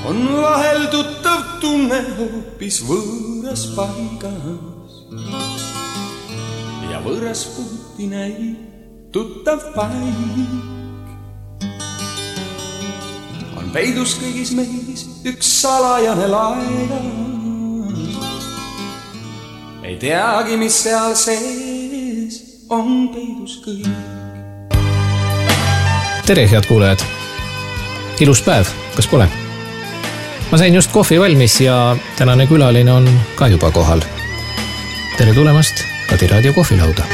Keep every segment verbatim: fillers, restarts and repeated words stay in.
on vahel tuttav tunne hoopis võõras paigas ja võõras puuti näib tuttav paik. On peidus kõigis meis üks salajane laigas, ei teagi, mis seal sees on peidus kõik. Tere, head kuulajad! Ilus päev, kas pole? Ma sain just kohvi valmis ja tänane külaline on ka juba kohal. Tere tulemast Kadiraadio kohvilauda!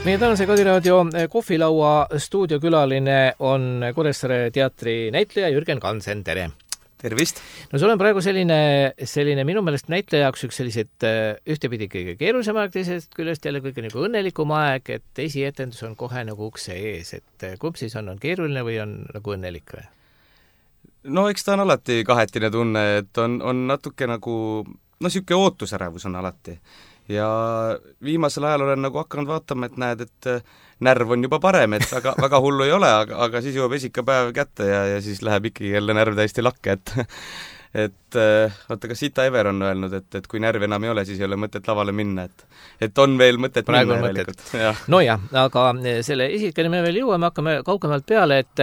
Meie tänase Kadiraadio kohvilaua stuudiokülaline on Kuressaare teatri näitleja Jürgen Kansen. Tere! Tervist! No sul on praegu selline, selline minu meelest näitleja jaoks üks sellised ühtepidi kõige keerulisem aeg, teisest küljest jälle kõige nagu õnnelikum aeg, et esietendus on kohe nagu ukse ees, et kumb siis on, on keeruline või on nagu õnnelik või? No eks ta on alati kahetine tunne, et on, on natuke nagu, no siuke ootusärevus on alati. Ja viimasel ajal olen nagu hakanud vaatama, et näed, et närv on juba parem, et väga, väga hullu ei ole, aga, aga siis jõuab esikapäev kätte ja, ja siis läheb ikkagi jälle närv täiesti lakke, et et vaata, ka Sita Ever on öelnud, et, et kui närv enam ei ole, siis ei ole mõtet lavale minna, et, et on veel mõtet praegu minna järelikult. No jah, aga selle isikene me veel jõuame, hakkame kaugemalt peale, et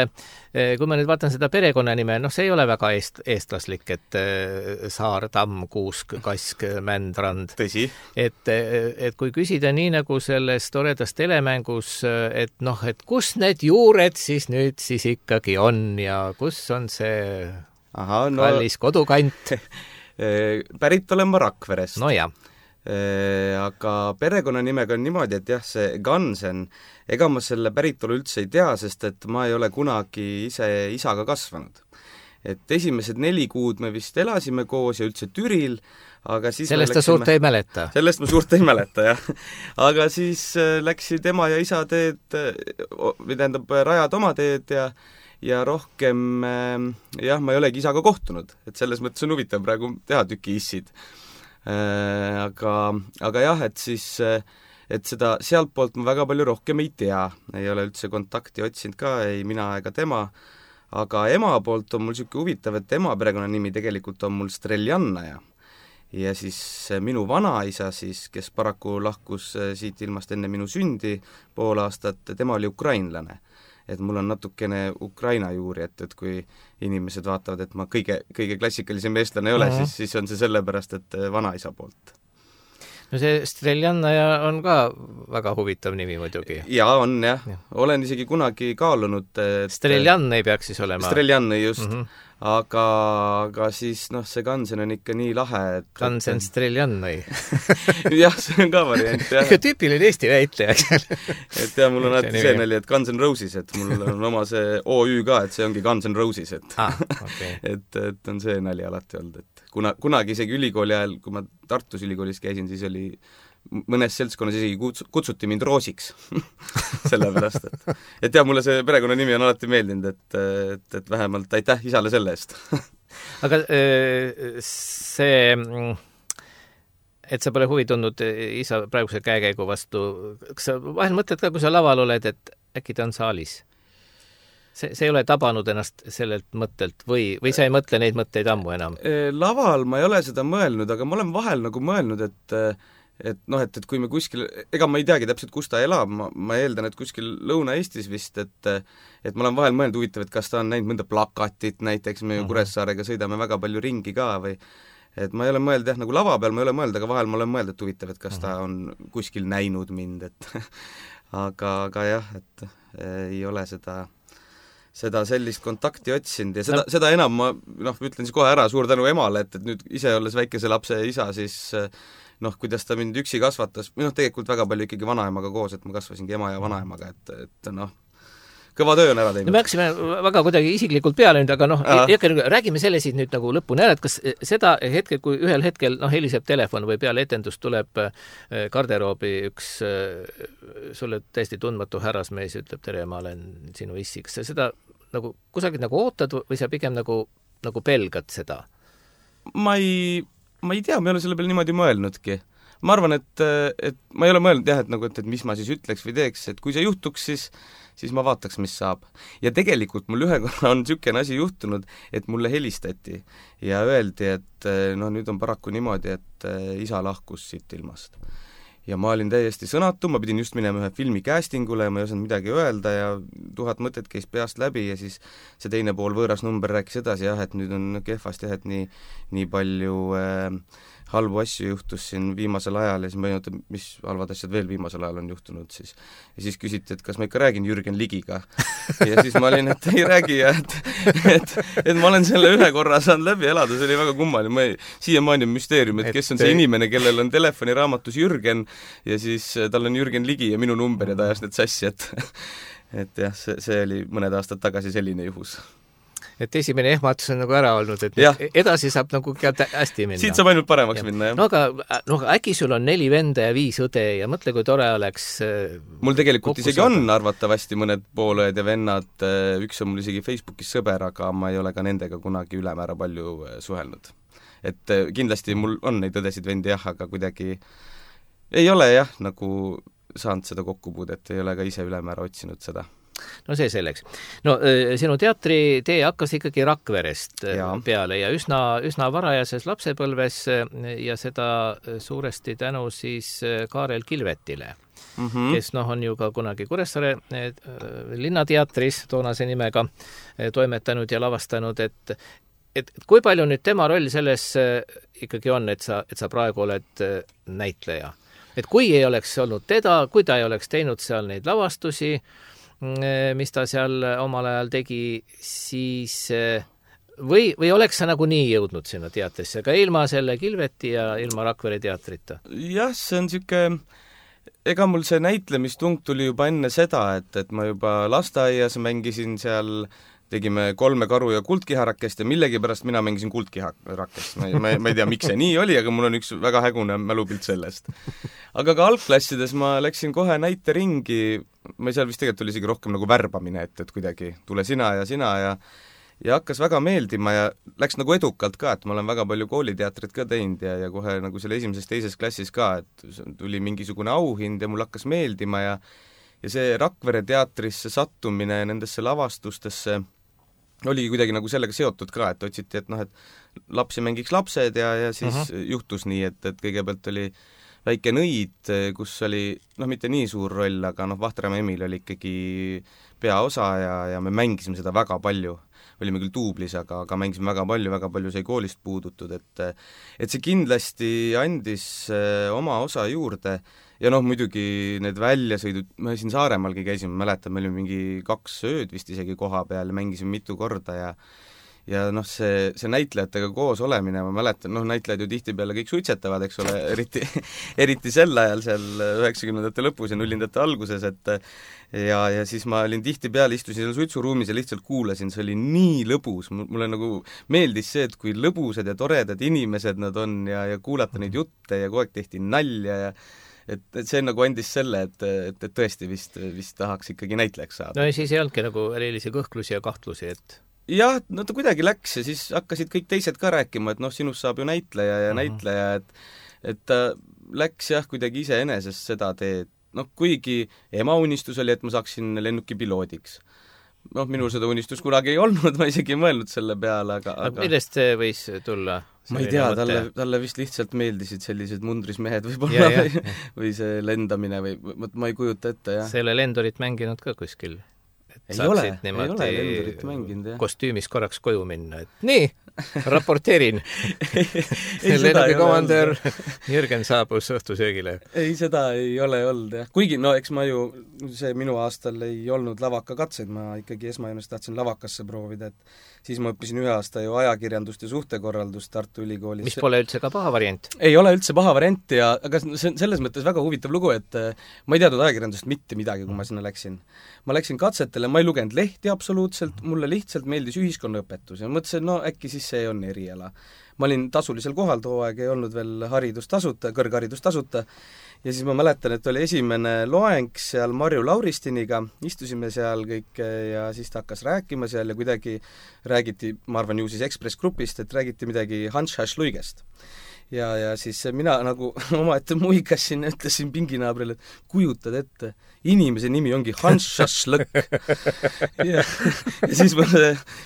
kui ma nüüd vaatan seda perekonnanime, noh, see ei ole väga eest, eestlaslik, et Saar, Tamm, Kuusk, Kask, Mändrand. Tõsi. Et, et kui küsida nii nagu selles toredast telemängus, et noh, et kus need juured siis nüüd siis ikkagi on ja kus on see Aha, no, kallis kodukant? Pärit olen ma Rakverest. No jah. Aga perekonnanimega on niimoodi, et jah, see Gansen, ega ma selle päritolu üldse ei tea, sest et ma ei ole kunagi ise isaga kasvanud. Et esimesed neli kuud me vist elasime koos ja üldse Türil, aga siis sellest ta suurt ei mäleta? Sellest ma suurt ei mäleta, jah. Aga siis läksid ema ja isa teed, või tähendab, rajad oma teed ja ja rohkem, jah, ma ei olegi isaga kohtunud, et selles mõttes on huvitav praegu teha tüki issid. Aga, aga jah, et siis, et seda sealt poolt ma väga palju rohkem ei tea, ei ole üldse kontakti otsinud ka, ei mina ega tema, aga ema poolt on mul siuke huvitav, et ema perekonnanimi tegelikult on mul Streljannaja. Ja siis minu vanaisa siis, kes paraku lahkus siit ilmast enne minu sündi pool aastat, tema oli ukrainlane. Et mul on natukene Ukraina juuri, et, et kui inimesed vaatavad, et ma kõige, kõige klassikalisem eestlane ei ole, uh-huh. siis, siis on see sellepärast, et vanaisa poolt. No see Streljannaja on ka väga huvitav nimi muidugi. Jaa, on jah. Ja. Olen isegi kunagi kaalunud. Et Streljann ei peaks siis olema. Streljann just. Uh-huh. Aga, aga siis, noh, see Gansen on ikka nii lahe, et... Gansen et... Streljannoi. jah, see on ka variant, jah. Ikka tüüpiline Eesti väitleja. et jah, mul on alati see nali, et Guns N' Roses, et mul on oma see O Ü ka, et see ongi Guns N' Roses, et ah, okay. et, et on see nali alati olnud, et kuna, kunagi isegi ülikooli ajal, kui ma Tartus ülikoolis käisin, siis oli mõnes seltskonnas isegi kutsuti mind Roosiks sellepärast, et et jah, mulle see perekonna nimi on alati meeldinud, et, et, et vähemalt aitäh isale selle eest. Aga see, et sa pole huvi tundnud isa praeguse käekäigu vastu, kas sa vahel mõtled ka, kui sa laval oled, et äkki ta on saalis? See, see ei ole tabanud ennast sellelt mõttelt või, või sa ei mõtle neid mõtteid ammu enam? Laval ma ei ole seda mõelnud, aga ma olen vahel nagu mõelnud, et et noh, et, et kui me kuskil, ega ma ei teagi täpselt, kus ta elab, ma, ma eeldan, et kuskil Lõuna-Eestis vist, et et ma olen vahel mõelnud huvitav, et kas ta on näinud mõnda plakatit, näiteks me ju Kuressaarega sõidame väga palju ringi ka või et ma ei ole mõelnud, jah, nagu lava peal ma ei ole mõelnud, aga vahel ma olen mõelnud, et huvitav, et kas ta on kuskil näinud mind, et aga, aga jah, et ei ole seda seda sellist kontakti otsinud ja seda, no. seda enam ma, noh, ütlen siis kohe ära, suur tänu emale, et, et nüüd ise olles väikese lapse isa, siis noh, kuidas ta mind üksi kasvatas, või noh, tegelikult väga palju ikkagi vanaemaga koos, et ma kasvasingi ema ja vanaemaga, et, et noh, kõva töö on ära teinud. No me haksime väga kuidagi isiklikult peale nüüd, aga noh, räägime selle siit nüüd nagu lõpuni ära, et kas seda hetkel, kui ühel hetkel noh, heliseb telefon või peale etendust tuleb garderoobi üks sulle täiesti tundmatu härrasmees ütleb, tere, ma olen sinu issi, kas sa seda nagu kusagilt nagu ootad või sa pigem nagu, nagu pelgad seda? Ma ei... ma ei tea, ma ei ole selle peale niimoodi mõelnudki. ma arvan, et, et ma ei ole mõelnud jah, et nagu, et, et mis ma siis ütleks või teeks, et kui see juhtuks, siis siis ma vaataks, mis saab. Ja tegelikult mul ühe korra on niisugune asi juhtunud, et mulle helistati ja öeldi, et no nüüd on paraku niimoodi, et isa lahkus siit ilmast. Ja ma olin täiesti sõnatu, ma pidin just minema ühe filmi castingule ja ma ei osanud midagi öelda ja tuhat mõtet käis peast läbi ja siis see teine pool võõras number rääkis edasi, jah, et nüüd on kehvasti, jah, et nii, nii palju äh, halbu asju juhtus siin viimasel ajal ja siis ma ei mõelnud, mis halvad asjad veel viimasel ajal on juhtunud siis. Ja siis küsiti, et kas ma ikka räägin Jürgen Ligiga. Ja siis ma olin, et ei räägi ja et, et, et ma olen selle ühe korra saanud läbi elada, see oli väga kummaline. Ma ei, siiamaani on müsteerium, et kes on see inimene, kellel on telefoniraamatus Jürgen ja siis tal on Jürgen Ligi ja minu number ja ta ajas need sassi, et et jah, see, see oli mõned aastad tagasi selline juhus. Et esimene ehmatus on nagu ära olnud, et ja. edasi saab nagu hästi minna. Siit saab ainult paremaks ja. minna, jah. No aga no, äkki sul on neli venda ja viis õde ja mõtle, kui tore oleks mul tegelikult isegi saada. On arvatavasti mõned poolõed ja vennad, üks on mul isegi Facebookis sõber, aga ma ei ole ka nendega kunagi ülemäära palju suhelnud. Et kindlasti mul on neid õdesid vendi jah, aga kuidagi ei ole jah, nagu saanud seda kokkupuudet, ei ole ka ise ülemäära otsinud seda. No see selleks. No sinu teatritee hakkas ikkagi Rakverest ja. peale ja üsna, üsna varajases lapsepõlves ja seda suuresti tänu siis Kaarel Kilvetile, mm -hmm. kes noh, on ju ka kunagi Kuressaare linnateatris toonase nimega toimetanud ja lavastanud, et et kui palju nüüd tema roll selles ikkagi on, et sa, et sa praegu oled näitleja? Et kui ei oleks olnud teda, kui ta ei oleks teinud seal neid lavastusi, mis ta seal omal ajal tegi, siis või, või oleks sa nagu nii jõudnud sinna teatrisse, ka ilma selle Kilveti ja ilma Rakvere teatrita? Jah, see on niisugune, ega mul see näitlemistung tuli juba enne seda, et, et ma juba lasteaias mängisin seal, tegime Kolme karu ja Kuldkiharakest ja millegipärast mina mängisin Kuldkiharakest. Ma, ma, ma ei tea, miks see nii oli, aga mul on üks väga hägune mälupilt sellest. Aga ka algklassides ma läksin kohe näiteringi, ma seal vist tegelikult oli isegi rohkem nagu värbamine, et, et kuidagi tule sina ja sina ja ja hakkas väga meeldima ja läks nagu edukalt ka, et ma olen väga palju kooliteatrit ka teinud ja, ja kohe nagu selle esimeses teises klassis ka, et tuli mingisugune auhind ja mul hakkas meeldima ja ja see Rakvere teatrisse sattumine nendesse lavastustesse oligi kuidagi nagu sellega seotud ka, et otsiti, et noh, et lapsi mängiks lapsed ja, ja siis uh -huh. juhtus nii, et, et kõigepealt oli Väike Nõid, kus oli noh, mitte nii suur roll, aga noh, Vahtramäe Emil oli ikkagi peaosa ja, ja me mängisime seda väga palju. Olime küll duublis, aga, aga mängisime väga palju, väga palju sai koolist puudutud, et et see kindlasti andis oma osa juurde ja noh, muidugi need väljasõidud, me siin Saaremaalgi käisime, mäletan, me olime mingi kaks ööd vist isegi koha peal ja mängisime mitu korda ja ja noh, see, see näitlejatega koos olemine, ma mäletan, noh, näitlejad ju tihtipeale kõik suitsetavad, eks ole, eriti, eriti sel ajal seal üheksakümnendate lõpus ja nullindate alguses, et ja, ja siis ma olin tihtipeale, istusin seal suitsuruumis ja lihtsalt kuulasin, see oli nii lõbus, mulle nagu meeldis see, et kui lõbusad ja toredad inimesed nad on ja, ja kuulata neid jutte ja kogu aeg tehti nalja ja et, et see nagu andis selle, et, et, et tõesti vist, vist tahaks ikkagi näitlejaks saada. No ja siis ei olnudki nagu erilisi kõhklusi ja kahtlusi, et jah, no ta kuidagi läks ja siis hakkasid kõik teised ka rääkima, et noh, sinust saab ju näitleja ja uh -huh. näitleja, et et ta läks jah, kuidagi iseenesest seda teed, noh, kuigi ema unistus oli, et ma saaksin lennukipiloodiks. Noh, minul seda unistust kunagi ei olnud, ma isegi ei mõelnud selle peale, aga, aga... millest see võis tulla? Ma ei tea, talle, talle vist lihtsalt meeldisid sellised mundris mehed võib-olla ja, või, või see lendamine või ma ei kujuta ette, jah. Selle lendurit mänginud ka kuskil? Ei ole, ei ole lendurit mänginud, jah. Kostüümis korraks koju minna, et nii, raporteerin. Lennukikomandör Jürgen saabus õhtusöögile. Ei, seda ei ole olnud, jah. Kuigi, no eks ma ju, see minu aastal ei olnud lavakakatseid, ma ikkagi esmajoones tahtsin lavakasse proovida, et siis ma õppisin ühe aasta ju ajakirjandust ja suhtekorraldust Tartu Ülikoolis. Mis pole üldse ka paha variant? Ei ole üldse paha variant ja, aga see on selles mõttes väga huvitav lugu, et ma ei teadnud ajakirjandust mitte midagi, kui ma sinna läksin. Ma läksin katsetele, ma ei lugenud lehti absoluutselt, mulle lihtsalt meeldis ühiskonnaõpetus ja mõtlesin, no äkki siis see on eriala. ma olin tasulisel kohal, too aeg ei olnud veel haridus tasuta, kõrgharidus tasuta, ja siis ma mäletan, et oli esimene loeng seal Marju Lauristiniga, istusime seal kõik ja siis ta hakkas rääkima seal ja kuidagi räägiti, ma arvan ju siis Ekspress Grupist, et räägiti midagi Hans Hašluigest. Ja, ja siis mina nagu omaette muigasin ja ütlesin pinginaabrile, et kujutad ette, inimese nimi ongi Hans Šašlõk. ja, ja siis ma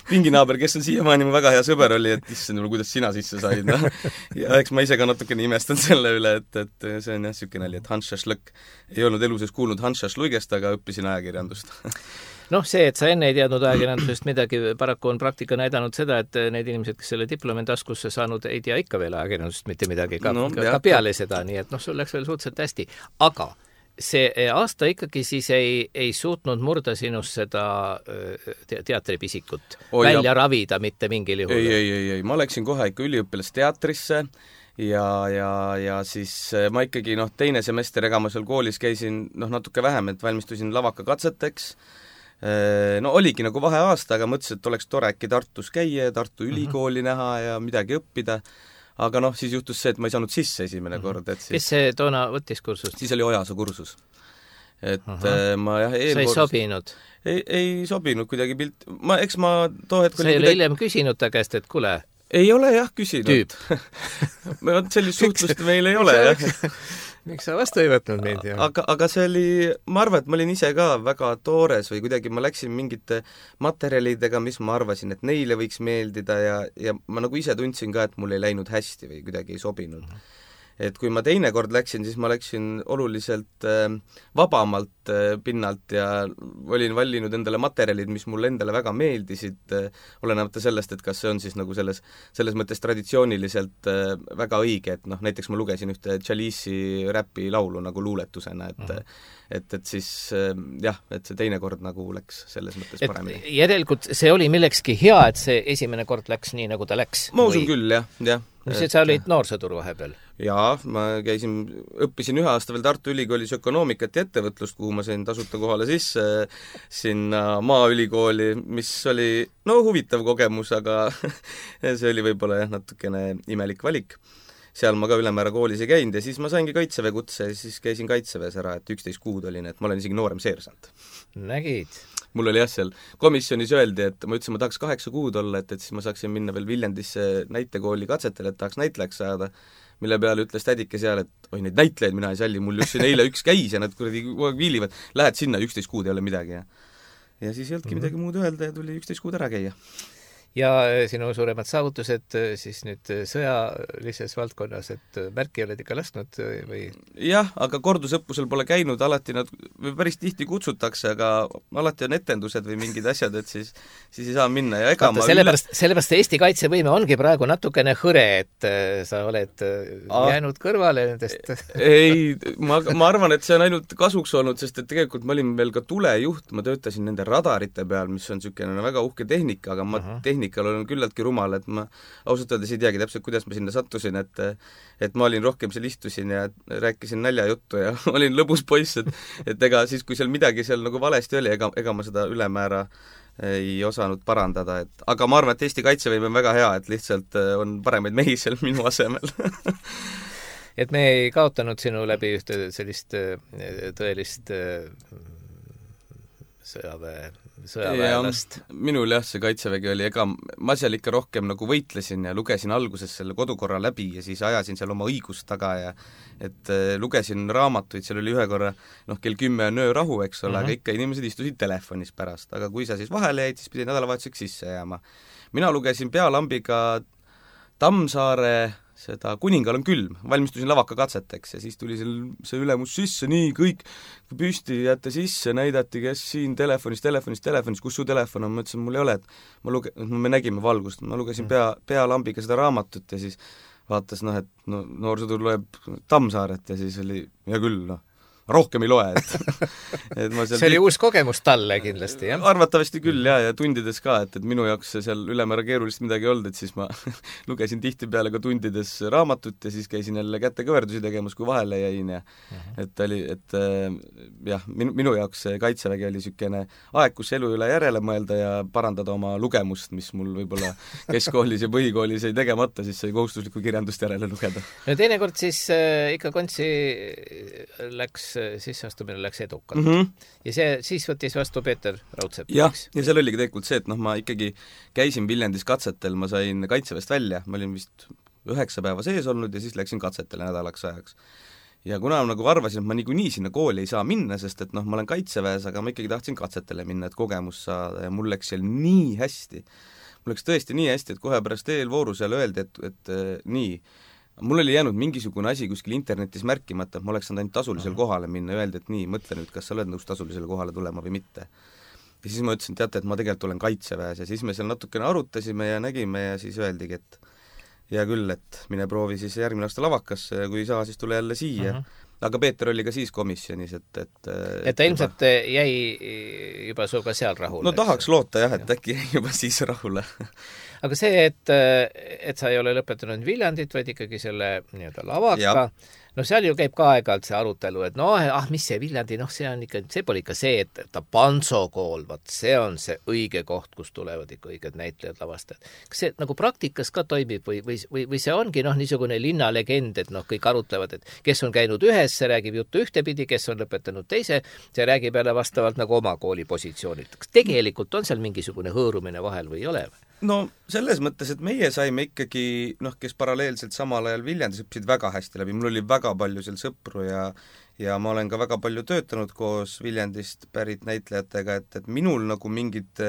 pinginaaber, kes on siiamaani mu väga hea sõber oli, et issand, kuidas sina sisse said. No? Ja eks ma ise ka natukene imestan selle üle, et, et see on jah siuke nali, et Hans Šašlõk ei olnud eluses kuulnud Hans Šašluigest, aga õppisin ajakirjandust. noh, see, et sa enne ei teadnud ajakirjandusest midagi, paraku on praktika näidanud seda, et need inimesed, kes selle diplomi taskusse saanud, ei tea ikka veel ajakirjandusest mitte midagi, ka, no, ka, ka peale seda, nii et noh, sul läks veel suhteliselt hästi. Aga see aasta ikkagi siis ei, ei suutnud murda sinust seda te teatripisikut oh, välja ja... ravida mitte mingil juhul? Ei, ei, ei, ei, ma läksin kohe ikka üliõpilasteatrisse ja, ja, ja siis ma ikkagi noh, teine semester, ega ma seal koolis käisin noh, natuke vähem, et valmistusin lavakakatseteks. No oligi nagu vaheaasta, aga mõtlesin, et oleks tore äkki Tartus käia, Tartu ülikooli mm-hmm. näha ja midagi õppida. Aga noh, siis juhtus see, et ma ei saanud sisse esimene mm-hmm. kord. Et siis... Kes see toona võttis kursust? Siis oli Ojasoo kursus. Et uh-huh. ma jah... Sa ei sobinud? Ei, ei sobinud kuidagi pilt... Ma, eks ma too hetk... Sa ei ole kuidagi... hiljem küsinud ta käest, et kule... Ei ole jah küsinud. Tüüp. sellist suhtlust meil ei ole jah. Miks sa vastu ei võtnud neid? Aga, aga see oli, ma arvan, et ma olin ise ka väga toores või kuidagi ma läksin mingite materjalidega, mis ma arvasin, et neile võiks meeldida ja, ja ma nagu ise tundsin ka, et mul ei läinud hästi või kuidagi ei sobinud. Et kui ma teine kord läksin, siis ma läksin oluliselt äh, vabamalt äh, pinnalt ja olin vallinud endale materjalid, mis mulle endale väga meeldisid, äh, olenemata sellest, et kas see on siis nagu selles, selles mõttes traditsiooniliselt äh, väga õige, et noh, näiteks ma lugesin ühte Chalice'i räpi laulu nagu luuletusena, et mm. et, et siis äh, jah, et see teine kord nagu läks selles mõttes et paremini. Järelikult see oli millekski hea, et see esimene kord läks nii, nagu ta läks? Ma usun või... küll, jah, jah. Mis et sa olid noorsõdur vahepeal? Jaa, ma käisin, õppisin ühe aasta veel Tartu Ülikoolis ökonoomikat ja ettevõtlust, kuhu ma sain tasuta kohale sisse sinna Maaülikooli, mis oli no huvitav kogemus, aga see oli võib-olla jah, natukene imelik valik. Seal ma ka ülemäära koolis ei käinud ja siis ma saingi kaitseväe kutse ja siis käisin kaitseväes ära, et üksteist kuud olin, et ma olen isegi noorem seersant. Nägid? Mul oli jah, seal komisjonis öeldi, et ma ütlesin, ma tahaks kaheksa kuud olla, et, et siis ma saaksin minna veel Viljandisse näitekooli katsetele, et tahaks näitlejaks saada, mille peale ütles tädike seal, et oi, neid näitlejaid mina ei salli, mul just siin eile üks käis ja nad kuradi viilivad, lähed sinna, üksteist kuud ei ole midagi. Ja, ja siis ei olnudki midagi muud öelda ja tuli üksteist kuud ära käia. Ja sinu suuremad saavutused siis nüüd sõjalises valdkonnas, et märki oled ikka lasknud või? Jah, aga kordusõppusel pole käinud, alati nad päris tihti kutsutakse, aga alati on etendused või mingid asjad, et siis, siis ei saa minna ja ega Vaata, ma sellepärast, üle... sellepärast Eesti kaitsevõime ongi praegu natukene hõre, et sa oled A... jäänud kõrvale nendest. Ei, ma, ma arvan, et see on ainult kasuks olnud, sest et tegelikult ma olin veel ka tulejuht, ma töötasin nende radarite peal, mis on niisugune väga uhke tehnika, aga ma uh-huh. tehnika olen küllaltki rumal, et ma ausalt öeldes ei teagi täpselt, kuidas ma sinna sattusin, et et ma olin rohkem seal istusin ja rääkisin näljajuttu ja olin lõbus poiss, et et ega siis, kui seal midagi seal nagu valesti oli, ega, ega ma seda ülemäära ei osanud parandada, et aga ma arvan, et Eesti kaitsevõime on väga hea, et lihtsalt on paremaid mehi seal minu asemel. Et me ei kaotanud sinu läbi ühte sellist tõelist sõjaväe sõjaväelast. Minul jah, see kaitsevägi oli, ega ma seal ikka rohkem nagu võitlesin ja lugesin alguses selle kodukorra läbi ja siis ajasin seal oma õigust taga ja et lugesin raamatuid, seal oli ühe korra noh, kell kümme on öörahu, eks ole, uh-huh. aga ikka inimesed istusid telefonis pärast, aga kui sa siis vahele jäid, siis pidi nädalavahetuseks sisse jääma. Mina lugesin pealambiga Tammsaare seda Kuningal on külm, valmistusin lavakakatseteks ja siis tuli seal see ülemus sisse, nii kõik püsti jätte sisse, näidati, kes siin telefonis, telefonis, telefonis, kus su telefon on, ma ütlesin, mul ei ole, et ma luge-, me nägime valgust, ma lugesin pea, pealambiga seda raamatut ja siis vaatas noh, et no, noorsõdur loeb Tammsaaret ja siis oli, hea küll, noh, rohkem ei loe, et, et ma seal see oli uus kogemus talle kindlasti, jah? Arvatavasti küll, jah, ja tundides ka, et, et minu jaoks seal ülemäära keerulist midagi olnud, et siis ma lugesin tihtipeale ka tundides raamatut ja siis käisin jälle kätekõverdusi tegemas, kui vahele jäin ja uh-huh. et oli, et jah, minu, minu jaoks see Kaitsevägi oli niisugune aeg, kus elu üle järele mõelda ja parandada oma lugemust, mis mul võib-olla keskkoolis ja põhikoolis ei tegemata, siis sai kohustuslikku kirjandust järele lugeda. No teinekord siis äh, ikka kontsi läks sisseastumine läks edukalt. Mm -hmm. Ja see, siis võttis vastu Peeter Raudsepp. jah, ja seal oligi tegelikult see, et noh, ma ikkagi käisin Viljandis katsetel, ma sain Kaitseväest välja, ma olin vist üheksa päeva sees olnud ja siis läksin katsetele nädalaks ajaks. Ja kuna ma nagu arvasin, et ma niikuinii sinna kooli ei saa minna, sest et noh, ma olen Kaitseväes, aga ma ikkagi tahtsin katsetele minna, et kogemus saada ja mul läks seal nii hästi. Mul läks tõesti nii hästi, et kohe pärast eelvooru seal öeldi, et, et äh, nii, mul oli jäänud mingisugune asi kuskil internetis märkimata, et ma oleks saanud ainult tasulisele kohale minna, öeldi, et nii, mõtle nüüd, kas sa oled nõus tasulisele kohale tulema või mitte. Ja siis ma ütlesin, teate, et ma tegelikult olen Kaitseväes ja siis me seal natukene arutasime ja nägime ja siis öeldigi, et hea küll, et mine proovi siis järgmine aasta lavakasse ja kui ei saa, siis tule jälle siia. Uh-huh. Aga Peeter oli ka siis komisjonis, et et, et ta ilmselt juba... jäi juba suga seal rahule. No tahaks loota jah, et äkki jäi juba siis rahule. Aga see, et, et sa ei ole lõpetanud Viljandit, vaid ikkagi selle nii-öelda lavaka, no seal ju käib ka aeg-ajalt see arutelu, et no ah, mis see Viljandi, noh see on ikka, see pole ikka see, et ta Panso kool, vaat see on see õige koht, kus tulevad ikka õiged näitlejad lavastajad. Kas see nagu praktikas ka toimib või, või, või, või see ongi noh, niisugune linnalegend, et noh, kõik arutlevad, et kes on käinud ühes, see räägib juttu ühtepidi, kes on lõpetanud teise, see räägib jälle vastavalt nagu oma kooli positsioonilt. Kas tegelikult on seal mingisugune hõõrumine vahel või ei ole? No selles mõttes, et meie saime ikkagi, noh, kes paralleelselt samal ajal Viljandis õppisid väga hästi läbi, mul oli väga palju seal sõpru ja ja ma olen ka väga palju töötanud koos Viljandist pärit näitlejatega, et, et minul nagu mingid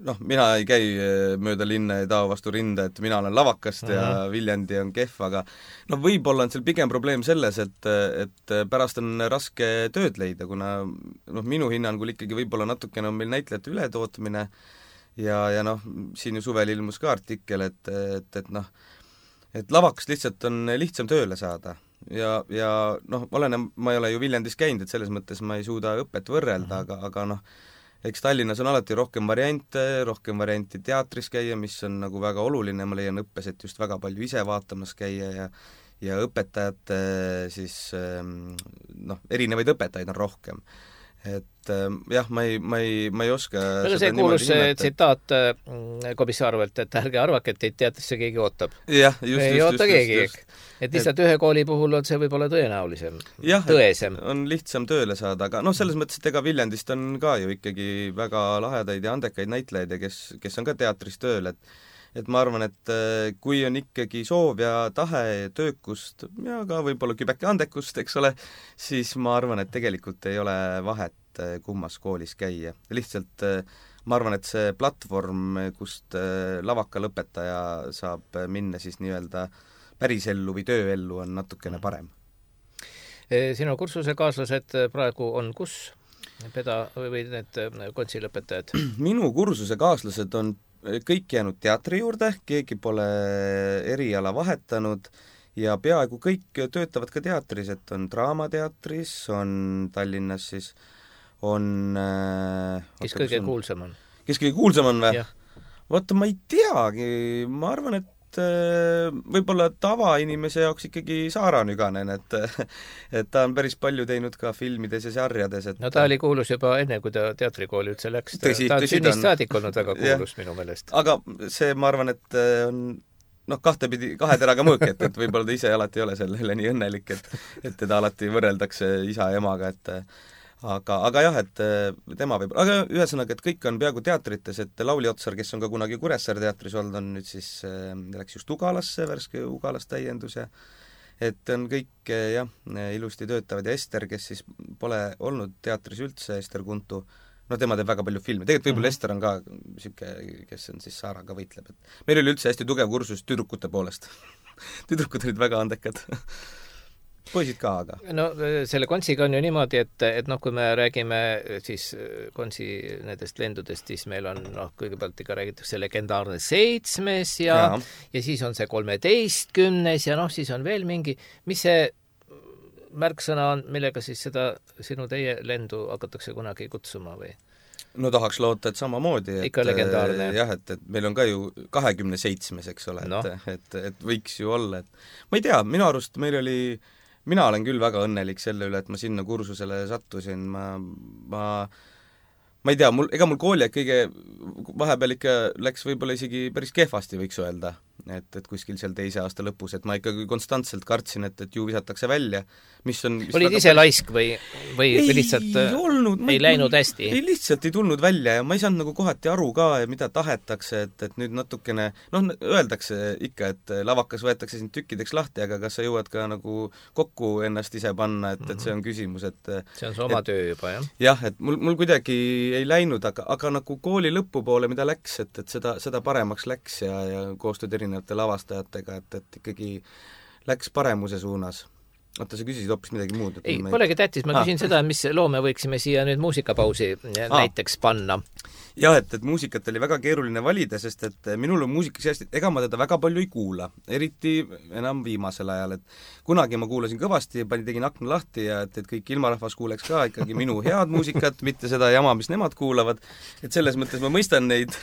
noh, mina ei käi mööda linna ja tao vastu rinda, et mina olen lavakast uh-huh. ja Viljandi on kehv, aga no võib-olla on seal pigem probleem selles, et, et pärast on raske tööd leida, kuna noh, minu hinnangul ikkagi võib-olla natukene on meil näitlejate ületootmine ja, ja noh, siin ju suvel ilmus ka artikkel, et, et, et noh, et lavakast lihtsalt on lihtsam tööle saada ja, ja noh, olen, ma ei ole ju Viljandis käinud, et selles mõttes ma ei suuda õpet võrrelda, aga, aga noh, eks Tallinnas on alati rohkem variante, rohkem varianti teatris käia, mis on nagu väga oluline, ma leian õppes, et just väga palju ise vaatamas käia ja ja õpetajate siis noh, erinevaid õpetajaid on rohkem. Et jah, ma ei, ma ei, ma ei oska no, see kuulus tsitaat Komissarvelt, et ärge arvake, et teid teatrisse keegi ootab. Jah, just, ei just, oota just, keegi, just, just. Et lihtsalt et... ühe kooli puhul on see võib-olla tõenäolisem, jah, tõesem. On lihtsam tööle saada, aga noh, selles mõttes, et ega Viljandist on ka ju ikkagi väga lahedaid ja andekaid näitlejaid ja kes, kes on ka teatris tööl, et et ma arvan, et kui on ikkagi soov ja tahe ja töökust ja ka võib-olla kübeke andekust, eks ole, siis ma arvan, et tegelikult ei ole vahet kummas koolis käia. Lihtsalt ma arvan, et see platvorm, kust lavakalõpetaja saab minna siis nii-öelda pärisellu või tööellu, on natukene parem. Sinu kursuse kaaslased praegu on kus? Peda või need kontsilõpetajad? Minu kursuse kaaslased on kõik jäänud teatri juurde, keegi pole eriala vahetanud ja peaaegu kõik töötavad ka teatris, et on Draamateatris, on Tallinnas siis, on kes kõige kuulsam on? Kes kõige kuulsam on või? Vaata, ma ei teagi, ma arvan, et võib-olla tavainimese jaoks ikkagi Saara Nüganen, et et ta on päris palju teinud ka filmides ja sarjades, et no ta oli kuulus juba enne, kui ta teatrikooli üldse läks, ta, tõsi, ta on sünnist saadik olnud väga kuulus minu meelest. Aga see, ma arvan, et on noh, kahtepidi, kahe teraga mõõk, et, et võib-olla ta ise alati ei ole sellele nii õnnelik, et et teda alati võrreldakse isa ja emaga, et aga, aga jah, et tema võib, aga ühesõnaga, et kõik on peaaegu teatrites, et Lauli Otsar, kes on ka kunagi Kuressaare teatris olnud, on nüüd siis, läks just Ugalasse, värske Ugalas täiendus ja et on kõik jah, ilusti töötavad ja Ester, kes siis pole olnud teatris üldse, Ester Kuntu, no tema teeb väga palju filme, tegelikult võib-olla mm-hmm. Ester on ka niisugune, kes on siis Saaraga võitleb, et meil oli üldse hästi tugev kursus tüdrukute poolest tüdrukud olid väga andekad poisid ka, aga no selle kontsiga on ju niimoodi, et, et noh, kui me räägime siis konsi nendest lendudest, siis meil on noh, kõigepealt ikka räägitakse legendaarne seitsmes ja, ja. ja siis on see kolmeteistkümnes ja noh, siis on veel mingi, mis see märksõna on, millega siis seda sinu teie lendu hakatakse kunagi kutsuma või? No tahaks loota, et samamoodi. Ikka et, legendaarne. Jah, et, et meil on ka ju kahekümne seitsmes, eks ole, no. et, et, et võiks ju olla, et ma ei tea, minu arust meil oli, mina olen küll väga õnnelik selle üle, et ma sinna kursusele sattusin, ma, ma ma ei tea, mul, ega mul kooli kõige vahepeal ikka läks võib-olla isegi päris kehvasti, võiks öelda, et, et kuskil seal teise aasta lõpus, et ma ikkagi konstantselt kartsin, et, et ju visatakse välja, mis on mis olid ise päris... laisk või, või ei, lihtsalt ei, olnud, ei läinud hästi? Ei, lihtsalt ei tulnud välja ja ma ei saanud nagu kohati aru ka, mida tahetakse, et, et nüüd natukene, noh, öeldakse ikka, et lavakas võetakse sind tükkideks lahti, aga kas sa jõuad ka nagu kokku ennast ise panna, et, et see on küsimus, et see on su oma et, töö juba, jah? Jah, et mul, mul kuidagi ei läinud, aga, aga nagu kooli lõpupoole, mida läks, et, et seda, seda paremaks läks ja, ja koostööd erinevate lavastajatega, et, et ikkagi läks paremuse suunas. Oota, sa küsisid hoopis midagi muud? Ei, polegi tähtis, ma küsin ah. seda, mis loo me võiksime siia nüüd muusikapausi ah. näiteks panna. Jah, et, et muusikat oli väga keeruline valida, sest et minul on muusikas hästi, ega ma teda väga palju ei kuula, eriti enam viimasel ajal, et kunagi ma kuulasin kõvasti, pani tegin akna lahti ja et, et kõik ilmarahvas kuuleks ka ikkagi minu head muusikat, mitte seda jama, mis nemad kuulavad, et selles mõttes ma mõistan neid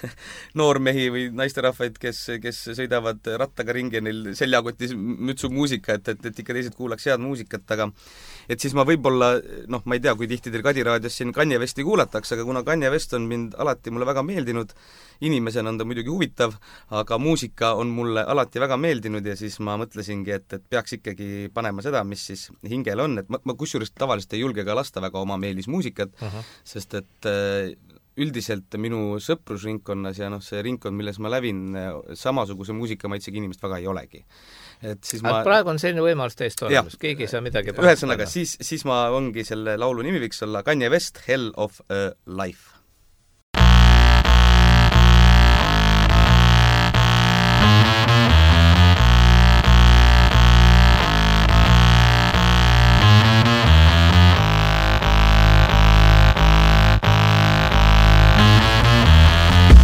noormehi või naisterahvaid, kes, kes sõidavad rattaga ringi, neil seljakotis mütsu muusika, et, et, et ikka teised kuulaks head muusikat, aga et siis ma võib-olla, noh, ma ei tea, kui tihti teil Kadi raadios siin Kanye Westi kuulatakse, aga kuna Kanye West on mind alati mulle väga meeldinud, inimesena on ta muidugi huvitav, aga muusika on mulle alati väga meeldinud ja siis ma mõtlesingi, et, et peaks ikkagi panema seda, mis siis hingel on, et ma, ma kusjuures tavaliselt ei julge ka lasta väga oma meelismuusikat, uh-huh. sest et üldiselt minu sõprusringkonnas ja noh, see ringkond, milles ma lävin, samasuguse muusikamaitsega inimest väga ei olegi. Et siis ma... praegu on selline võimalus täiesti olemas, keegi ei saa midagi ühesõnaga, siis, siis ma ongi selle laulu nimi võiks olla Kanye West, Hell of a Life.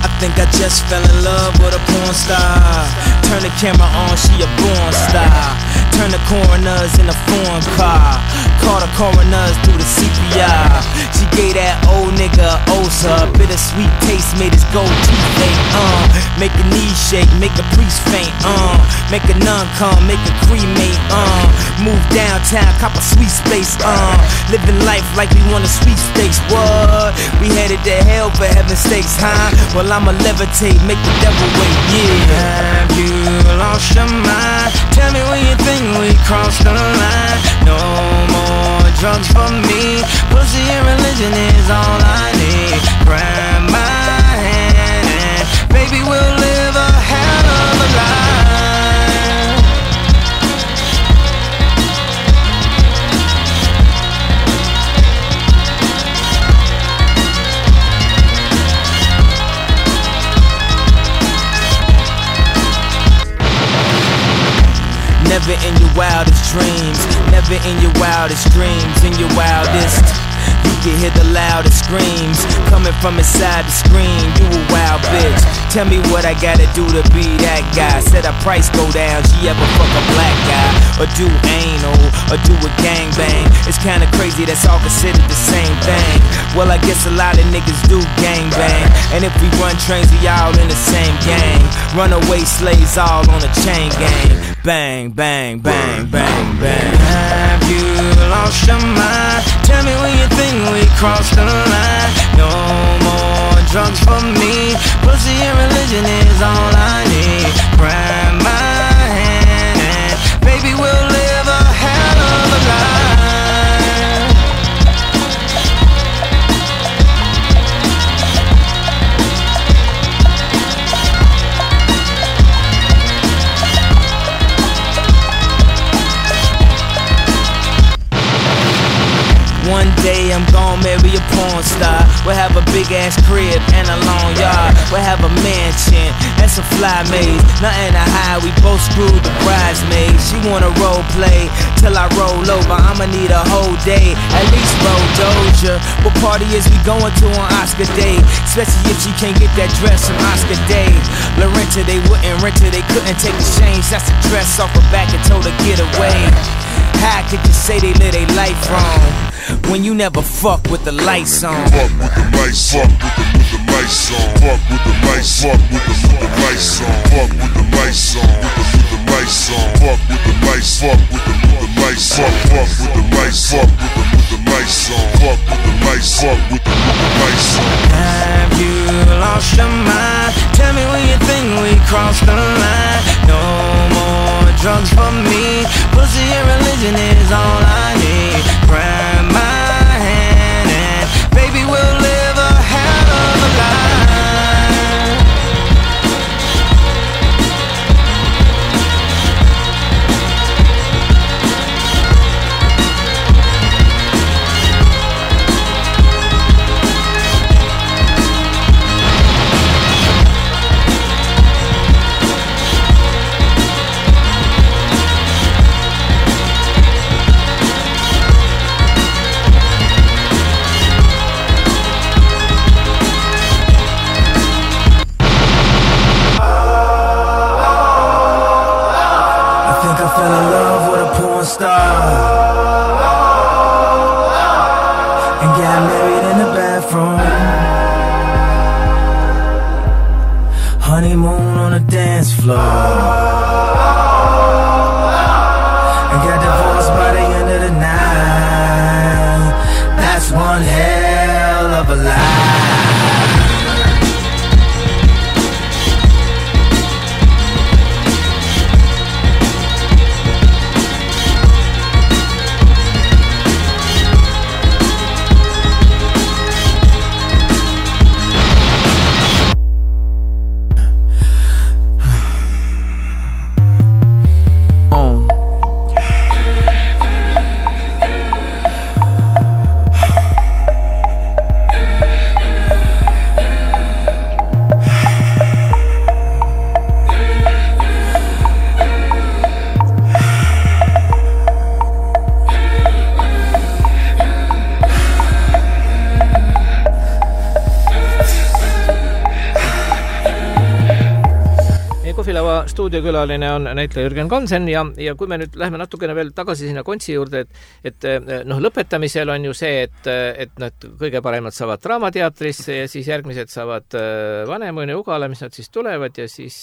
I think I just fell in love with a porn star. Turn the camera on, she a born star. Turn the coroners in a foreign car. Call the coroners through the C P R. She gave that old nigga Osa. Bittersweet taste made his gold teeth fake, uh. Make a knee shake, make a priest faint, uh. Make a nun come, make a cremate, uh. Move downtown, cop a sweet space, uh. Living life like we want a sweet steaks, what? We headed to hell for heaven's sakes, huh? Well, I'ma levitate, make the devil wait, yeah. Have you lost your mind? Tell me when you think we crossed the line. No more drugs for me. Pussy and religion is all I need. Grab my hand and baby we'll live a hell of a life. Never in your wildest dreams, never in your wildest dreams, in your wildest, you can hear the loudest screams coming from inside the screen. You a wild bitch, tell me what I gotta do to be that guy. Said a price go down, she ever fuck a black guy, or do anal, or do a gangbang. It's kinda crazy, that's all considered the same thing. Well, I guess a lot of niggas do gangbang, and if we run trains, we all in the same gang. Runaway slaves all on a chain gang. Bang, bang, bang, bang, bang. Have you lost your mind? Tell me when you think we crossed the line. No more drugs for me. Pussy and religion is all I need. Grab my hand and baby we'll live a hell of a life. One day I'm gon' marry a porn star. We'll have a big ass crib and a long yard. We'll have a mansion and some fly maids. Nothing to hide, we both screwed the bridesmaids. She wanna role play till I roll over. I'ma need a whole day, at least roll Doja. What party is we going to on Oscar Day? Especially if she can't get that dress from Oscar Day. Laurent renter, they wouldn't rent her, they couldn't take the change. That's the dress off her back and told her get away. How could you say they live their life wrong when you never fuck with the lights on? Fuck with the lights, fuck with the, with the lights on. Fuck with the lights, fuck with the, with the lights on. Fuck with the lights on, with the, with the lights on. Fuck with the lights, fuck with the, with the lights. Fuck, fuck with the lights, fuck with the, with the lights on. Fuck with the lights, fuck with the, with the lights on. Have you lost your mind? Tell me when you think we crossed the line. No more drugs for me. Pussy and religion is all I need. Grab my hand and baby we'll live a hell of a life. Honeymoon on the dance floor, and got divorced by the end of the night. That's one hell of a lie. stuudiokülaline on näitleja Jürgen Kansen ja, ja kui me nüüd läheme natukene veel tagasi sinna kontsi juurde, et, et noh, lõpetamisel on ju see, et, et nad kõige paremad saavad Draamateatrisse ja siis järgmised saavad Vanemuine Ugala, mis nad siis tulevad ja siis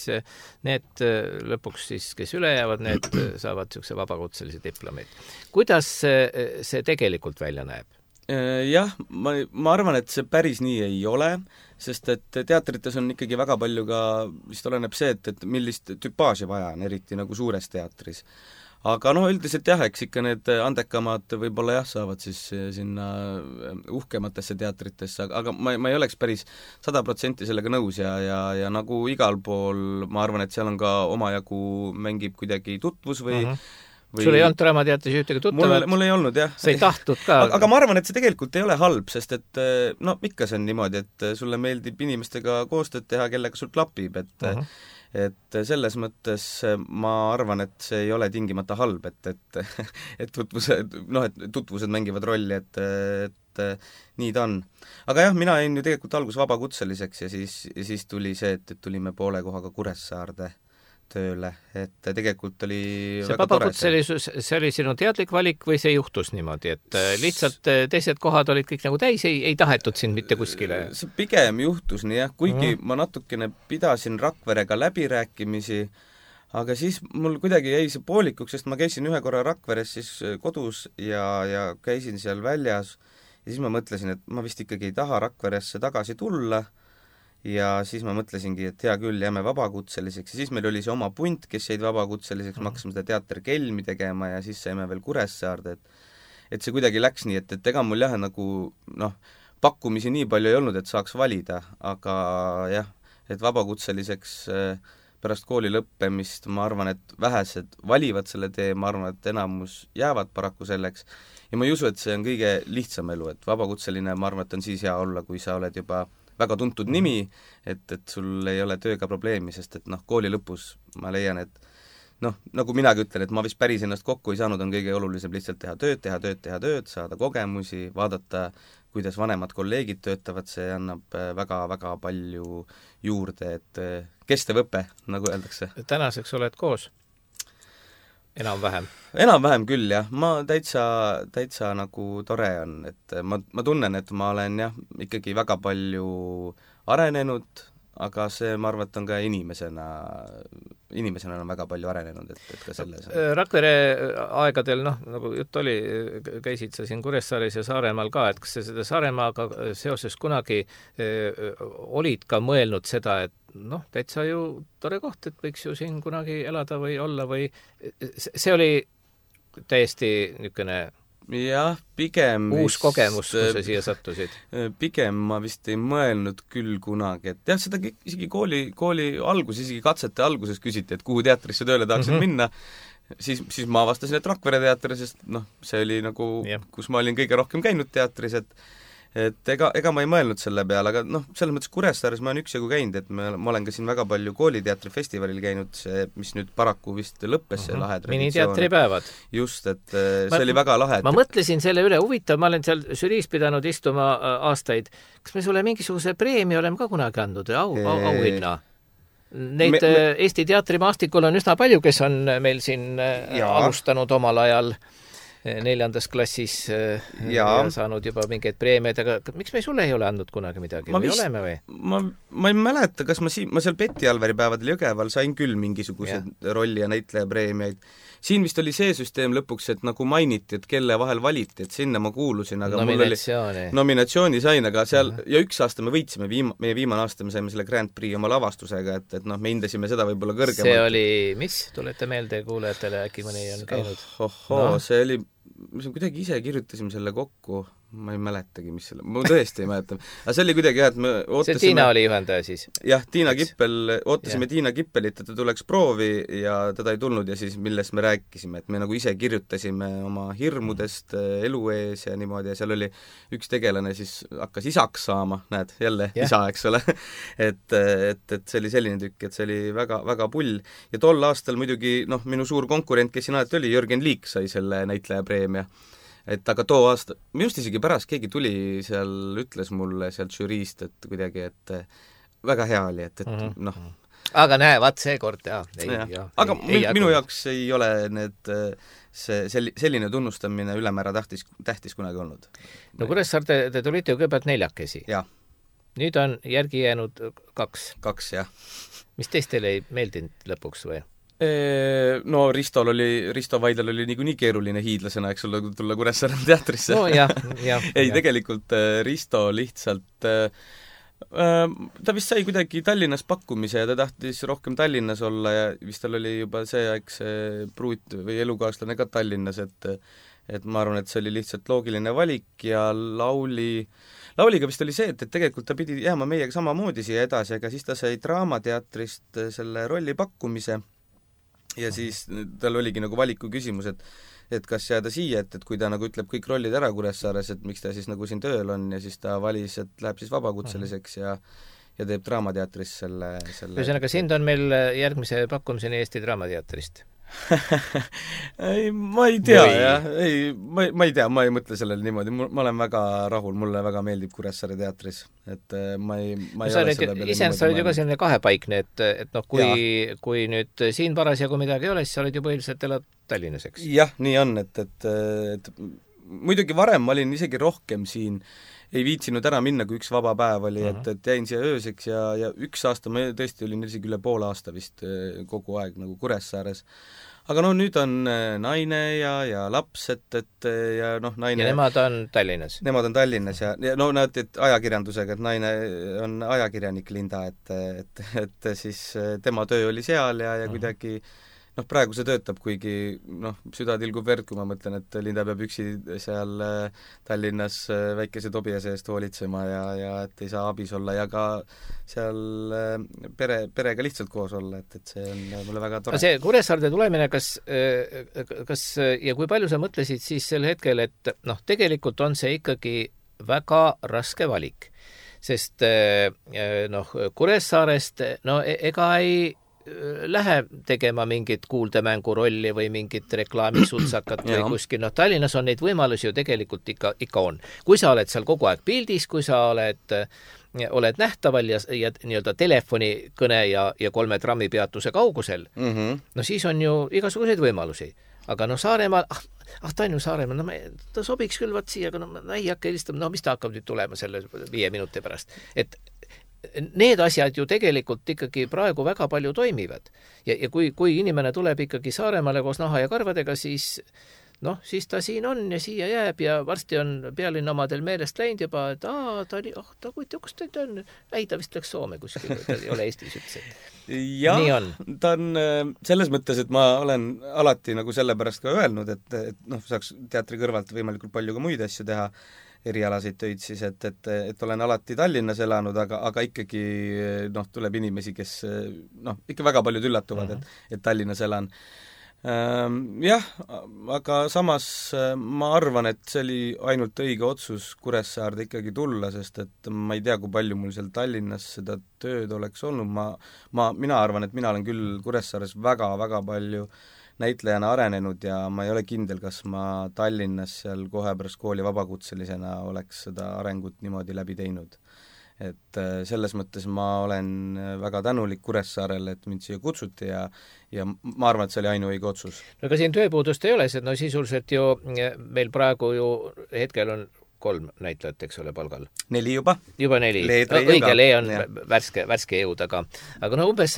need lõpuks siis, kes üle jäävad, need saavad niisuguse vabakutselise diplomeid. Kuidas see tegelikult välja näeb? Jah, ma, ma arvan, et see päris nii ei ole, sest et teatrites on ikkagi väga palju ka, vist oleneb see, et, et millist tüpaaži vaja on, eriti nagu suures teatris. Aga no üldiselt jah, eks ikka need andekamad võib-olla jah, saavad siis sinna uhkematesse teatritesse, aga ma, ma ei oleks päris sada protsenti sellega nõus ja, ja, ja nagu igal pool, ma arvan, et seal on ka omajagu mängib kuidagi tutvus või uh-huh. Või... Sul ei olnud Draamateatris ühtegi tuttavat? Mul, mul ei olnud, jah. Sa ei tahtnud ka? Aga, aga ma arvan, et see tegelikult ei ole halb, sest et no ikka see on niimoodi, et sulle meeldib inimestega koostööd teha, kellega sul klapib, et uh-huh. et selles mõttes ma arvan, et see ei ole tingimata halb, et, et, et tutvused, noh, et tutvused mängivad rolli, et, et nii ta on. Aga jah, mina jäin ju tegelikult algus vabakutseliseks ja siis, ja siis tuli see, et, et tulime poole kohaga Kuressaarde tööle, et tegelikult oli see vabakutselisus, see oli sinu teadlik valik või see juhtus niimoodi, et lihtsalt teised kohad olid kõik nagu täis, ei, ei tahetud sind mitte kuskile? See pigem juhtus nii jah, kuigi mm. ma natukene pidasin Rakverega läbirääkimisi, aga siis mul kuidagi jäi see poolikuks, sest ma käisin ühe korra Rakveres siis kodus ja, ja käisin seal väljas ja siis ma mõtlesin, et ma vist ikkagi ei taha Rakveresse tagasi tulla ja siis ma mõtlesingi, et hea küll, jääme vabakutseliseks ja siis meil oli see oma punt, kes jäid vabakutseliseks, me hakkasime seda teater Kelmi tegema ja siis saime veel Kuressaarde, et et see kuidagi läks nii, et, et ega mul jah, nagu noh, pakkumisi nii palju ei olnud, et saaks valida, aga jah, et vabakutseliseks pärast kooli lõppemist ma arvan, et vähesed valivad selle tee, ma arvan, et enamus jäävad paraku selleks ja ma ei usu, et see on kõige lihtsam elu, et vabakutseline, ma arvan, et on siis hea olla, kui sa oled juba väga tuntud nimi, et, et sul ei ole tööga probleemi, sest et noh, kooli lõpus ma leian, et noh, nagu minagi ütlen, et ma vist päris ennast kokku ei saanud, on kõige olulisem lihtsalt teha tööd, teha tööd, teha tööd, saada kogemusi, vaadata, kuidas vanemad kolleegid töötavad, see annab väga-väga palju juurde, et kestev õpe, nagu öeldakse. Tänaseks oled koos? Enam-vähem? Enam-vähem küll, jah. Ma täitsa, täitsa nagu tore on, et ma, ma tunnen, et ma olen jah, ikkagi väga palju arenenud, aga see, ma arvan, et on ka inimesena, inimesena on väga palju arenenud, et, et ka selles. Rakvere aegadel, noh, nagu jutt oli, käisid sa siin Kuressaares ja Saaremaal ka, et kas sa seda Saaremaaga seoses kunagi eh, olid ka mõelnud seda, et noh, täitsa ju tore koht, et võiks ju siin kunagi elada või olla või see oli täiesti niisugune jah, pigem uus vist, kogemus, kui sa siia sattusid? Pigem ma vist ei mõelnud küll kunagi, et jah, seda isegi kooli, kooli alguses, isegi katsete alguses küsiti, et kuhu teatrisse tööle tahaksid mm-hmm. minna, siis, siis ma avastasin, et Rakvere teatri, sest noh, see oli nagu yeah., kus ma olin kõige rohkem käinud teatris, et et ega, ega ma ei mõelnud selle peale, aga noh, selles mõttes Kuressaares ma olen üksjagu käinud, et ma, ma olen ka siin väga palju kooliteatrifestivalil käinud, see, mis nüüd paraku vist lõppes, see uh-huh. lahe traditsioon. Miniteatripäevad. Just, et see ma, oli väga lahe. Ma et... mõtlesin selle üle, huvitav, ma olen seal žüriis pidanud istuma aastaid. Kas me sulle mingisuguse preemia oleme ka kunagi andnud, au, au, auhinna? Neid me, me... Eesti teatrimaastikul on üsna palju, kes on meil siin ja. alustanud omal ajal neljandas klassis ja. ja saanud juba mingeid preemiaid, aga miks me sulle ei ole andnud kunagi midagi? Ma või vist, oleme või? Ma, ma ei mäleta, kas ma siin, ma seal Peti Alveri päevadel Jõgeval sain küll mingisugused ja. rolli- ja näitlejapreemiaid. Siin vist oli see süsteem lõpuks, et nagu mainiti, et kelle vahel valiti, et sinna ma kuulusin, aga mul oli nominatsiooni sain, aga seal uh-huh. ja üks aasta me võitsime, viima, meie viimane aasta me saime selle Grand Prix oma lavastusega, et, et noh, me hindasime seda võib-olla kõrgemalt. See oli, mis? Tulete meelde kuulajatele, äkki mõni on käinud? Oh, oh, no. See oli, me kuidagi ise kirjutasime selle kokku, ma ei mäletagi, mis selle, ma tõesti ei mäleta. Aga see oli kuidagi jah, et me ootasime... See Tiina oli juhendaja siis? Jah, Tiina Eks? Kippel, ootasime ja. Tiina Kippelit, et ta tuleks proovi ja teda ei tulnud ja siis millest me rääkisime, et me nagu ise kirjutasime oma hirmudest elu ees ja niimoodi ja seal oli üks tegelane siis hakkas isaks saama, näed, jälle ja. isa, eks ole. et, et, et see oli selline tükk, et see oli väga, väga pull. Ja tol aastal muidugi, noh, minu suur konkurent, kes siin alati oli, Jürgen Liik sai selle näitlejapreemia. Et aga too aasta, minust isegi pärast keegi tuli seal, ütles mulle sealt žüriist, et kuidagi, et väga hea oli, et, et mm-hmm. noh. Aga näe, vaat see kord, jah. Ja. Ja, aga ei, ei, minu jaoks ei ole need, see, selline tunnustamine ülemäära tähtis, tähtis kunagi olnud. No Kuressaar, te, te tulite ju kõigepealt neljakesi. Ja. Nüüd on järgi jäänud kaks. Kaks, jah. Mis teistele ei meeldinud lõpuks või? No Ristol oli, Risto Vaidlal oli niikuinii keeruline hiidlasena, eks ole, tulla Kuressaare teatrisse. No jah, jah. ei, jah. Tegelikult Risto lihtsalt, ta vist sai kuidagi Tallinnas pakkumise ja ta tahtis rohkem Tallinnas olla ja vist tal oli juba see aeg see pruut või elukaaslane ka Tallinnas, et et ma arvan, et see oli lihtsalt loogiline valik ja Lauli Lauliga vist oli see, et, et tegelikult ta pidi jääma meiega samamoodi siia edasi, aga siis ta sai Draamateatrist selle rolli pakkumise ja siis tal oligi nagu valiku küsimus, et et kas jääda siia, et, et kui ta nagu ütleb kõik rollid ära Kuressaares, et miks ta siis nagu siin tööl on ja siis ta valis, et läheb siis vabakutseliseks ja ja teeb Draamateatris selle, selle... Ühesõnaga, sind on meil järgmise pakkumiseni Eesti Draamateatrist? ei, ma ei tea, Või... jah, ei, ma, ma ei tea, ma ei mõtle sellele niimoodi, ma olen väga rahul, mulle väga meeldib Kuressaare teatris, et ma ei, ma ei no, ole selle peale iseenesest sa olid ju ka selline kahepaikne, et, et noh, kui, kui nüüd siin parasjagu midagi ei ole, siis sa olid ju põhiliselt elad Tallinnas, eks? Jah, nii on, et, et, et muidugi varem ma olin isegi rohkem siin, ei viitsinud ära minna, kui üks vaba päev oli, uh-huh. et, et jäin siia ööseks ja, ja üks aasta, ma tõesti olin isegi üle poole aasta vist kogu aeg nagu Kuressaares. Aga no nüüd on naine ja, ja laps, et, et ja noh, naine... Ja nemad on Tallinnas? Nemad on Tallinnas ja, ja no näed, et ajakirjandusega, et naine on ajakirjanik Linda, et, et, et siis tema töö oli seal ja, ja uh-huh. kuidagi noh, praegu see töötab, kuigi noh, süda tilgub verd, kui ma mõtlen, et Linda peab üksi seal Tallinnas väikese Tobiase eest hoolitsema ja, ja et ei saa abis olla ja ka seal pere, perega lihtsalt koos olla, et, et see on mulle väga tore. See Kuressaarde tulemine, kas, kas ja kui palju sa mõtlesid siis sel hetkel, et noh, tegelikult on see ikkagi väga raske valik, sest noh, Kuressaarest no ega ei lähe tegema mingit kuuldemängu rolli või mingit reklaamisutsakat või kuskil, noh Tallinnas on neid võimalusi ju tegelikult ikka, ikka on. Kui sa oled seal kogu aeg pildis, kui sa oled oled nähtaval ja, ja nii-öelda telefonikõne ja, ja kolme trammipeatuse kaugusel, mm -hmm. no siis on ju igasuguseid võimalusi. Aga no Saaremaal, ah, ah ta on ju Saaremaal, no me, ta sobiks küll vaat siia, aga no ma ei hakka helistama, no mis ta hakkab nüüd tulema selle viie minuti pärast. Et need asjad ju tegelikult ikkagi praegu väga palju toimivad. Ja, ja kui, kui inimene tuleb ikkagi Saaremaale koos naha ja karvadega, siis noh, siis ta siin on ja siia jääb ja varsti on pealinna omadel meelest läinud juba, et aa, ta oli, oh, ta kuid, kus ta on, ei, ta vist läks Soome kuskil, ta ei ole Eestis üldse. Jah, ta on selles mõttes, et ma olen alati nagu sellepärast ka öelnud, et, et noh, saaks teatri kõrvalt võimalikult palju ka muid asju teha, erialaseid töid siis, et, et, et olen alati Tallinnas elanud, aga, aga ikkagi noh, tuleb inimesi, kes noh, ikka väga paljud üllatuvad, et, et Tallinnas elan. Jah, aga samas ma arvan, et see oli ainult õige otsus Kuressaarde ikkagi tulla, sest et ma ei tea, kui palju mul seal Tallinnas seda tööd oleks olnud, ma, ma, mina arvan, et mina olen küll Kuressaares väga-väga palju näitlejana arenenud ja ma ei ole kindel, kas ma Tallinnas seal kohe pärast kooli vabakutselisena oleks seda arengut niimoodi läbi teinud. Et selles mõttes ma olen väga tänulik Kuressaarele, et mind siia kutsuti ja, ja ma arvan, et see oli ainuõige otsus. No aga siin tööpuudust ei ole, sest no sisuliselt ju meil praegu ju hetkel on kolm näitlejat, eks ole, palgal. Neli juba. Juba neli. No, õige, Lee on ja. värske, värske jõud, aga, aga no umbes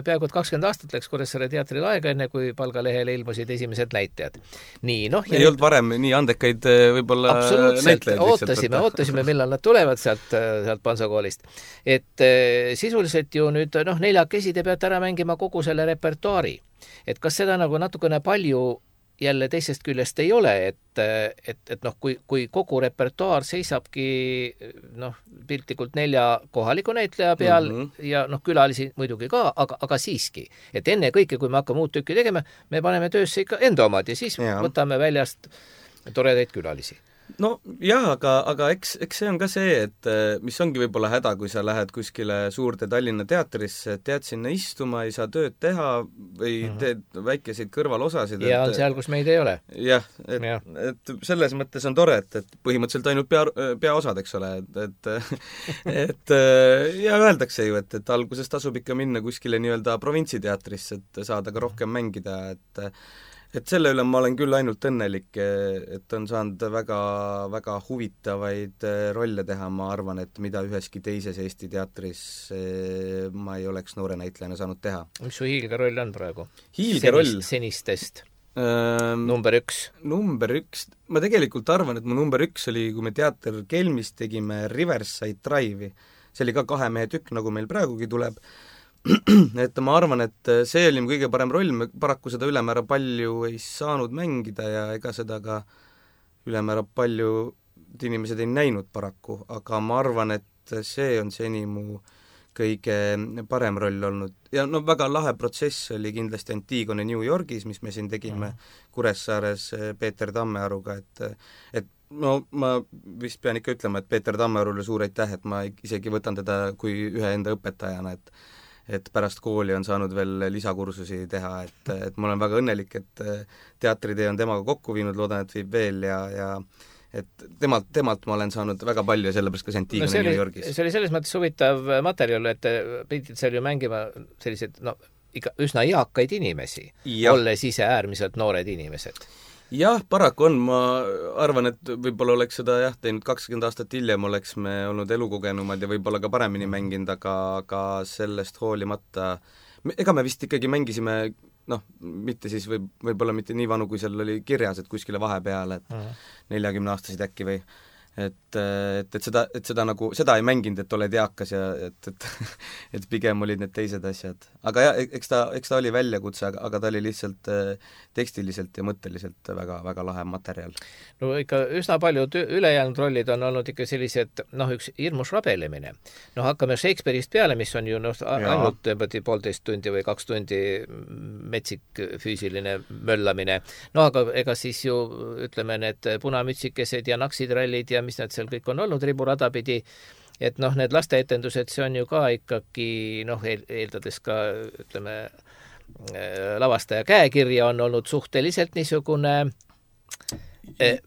peaaegu kakskümmend aastat läks Kuressaare teatril aega, enne kui palgalehele ilmusid esimesed näitajad. Nii, noh. Ei olnud varem nii andekaid võib-olla näitlejaid. Ootasime, ootasime, millal nad tulevad sealt, sealt Pansakoolist. Et sisuliselt ju nüüd, noh, neljakesi te peate ära mängima kogu selle repertuaari. Et kas seda nagu natukene palju jälle teisest küljest ei ole, et, et, et noh, kui, kui kogu repertuaar seisabki noh, piltlikult nelja kohaliku näitleja peal mm -hmm. ja noh, külalisi muidugi ka, aga, aga siiski. Et enne kõike, kui me hakkame uut tükki tegema, me paneme töösse ikka enda omad ja siis ja. võtame väljast toredaid külalisi. No jah, aga, aga eks, eks see on ka see, et mis ongi võib-olla häda, kui sa lähed kuskile suurde Tallinna teatrisse, tead sinna istuma, ei saa tööd teha või uh -huh. teed väikeseid kõrvalosasid. Ja on seal, kus meid ei ole. Jah, et, ja. et selles mõttes on tore, et, et põhimõtteliselt ainult pea, peaosad, eks ole, et, et, et ja öeldakse ju, et, et alguses tasub ikka minna kuskile nii-öelda provintsiteatrisse, et saada ka rohkem mängida, et et selle üle ma olen küll ainult õnnelik, et on saanud väga, väga huvitavaid rolle teha, ma arvan, et mida üheski teises Eesti teatris ma ei oleks noore näitlejana saanud teha. Mis su hiilgeroll on praegu? Hiilgeroll? Senist, senistest. Ähm, number üks? Number üks, ma tegelikult arvan, et mu number üks oli, kui me teater Kelmis tegime Riverside Drive'i. See oli ka kahe mehe tükk, nagu meil praegugi tuleb. Et ma arvan, et see oli mu kõige parem roll, me paraku seda ülemäära palju ei saanud mängida ja ega seda ka ülemäära palju inimesed ei näinud paraku, aga ma arvan, et see on seni mu kõige parem roll olnud. Ja no väga lahe protsess oli kindlasti Antigone New Yorgis, mis me siin tegime Kuressaares Peeter Tammearuga, et, et no ma vist pean ikka ütlema, et Peeter Tammearule suur aitäh, et ma isegi võtan teda kui ühe enda õpetajana, et et pärast kooli on saanud veel lisakursusi teha, et, et ma olen väga õnnelik, et teatritee on temaga kokku viinud, loodan, et viib veel ja, ja et temalt, temalt ma olen saanud väga palju ja sellepärast ka Antigone no, New Yorgis. See oli selles mõttes huvitav materjal, et pidid seal ju mängima sellised no, ikka üsna eakaid inimesi, ja. olles ise äärmiselt noored inimesed. Jah, paraku on, ma arvan, et võib-olla oleks seda jah, teinud kakskümmend aastat hiljem, oleks me olnud elukogenumad ja võib-olla ka paremini mänginud, aga, aga sellest hoolimata, ega me vist ikkagi mängisime, noh, mitte siis võib, võib-olla mitte nii vanu, kui seal oli kirjas, et kuskile vahepeal, et neljakümne aastasid äkki või et, et, et seda, et seda nagu, seda ei mänginud, et oled eakas ja et, et et pigem olid need teised asjad. Aga jah, eks ta, eks ta oli väljakutse, aga, aga ta oli lihtsalt tekstiliselt ja mõtteliselt väga, väga lahe materjal. No ikka üsna paljud ülejäänud rollid on olnud ikka sellised, noh, üks hirmus rabelemine. No hakkame Shakespeare'ist peale, mis on ju noh, ainult poolteist tundi või kaks tundi metsik füüsiline möllamine. No aga ega siis ju, ütleme, need punamütsikesed ja naksitrallid ja mis need seal kõik on olnud riburada pidi, et noh, need lasteetendused, see on ju ka ikkagi, noh, eeldades ka, ütleme, lavastaja käekirja on olnud suhteliselt niisugune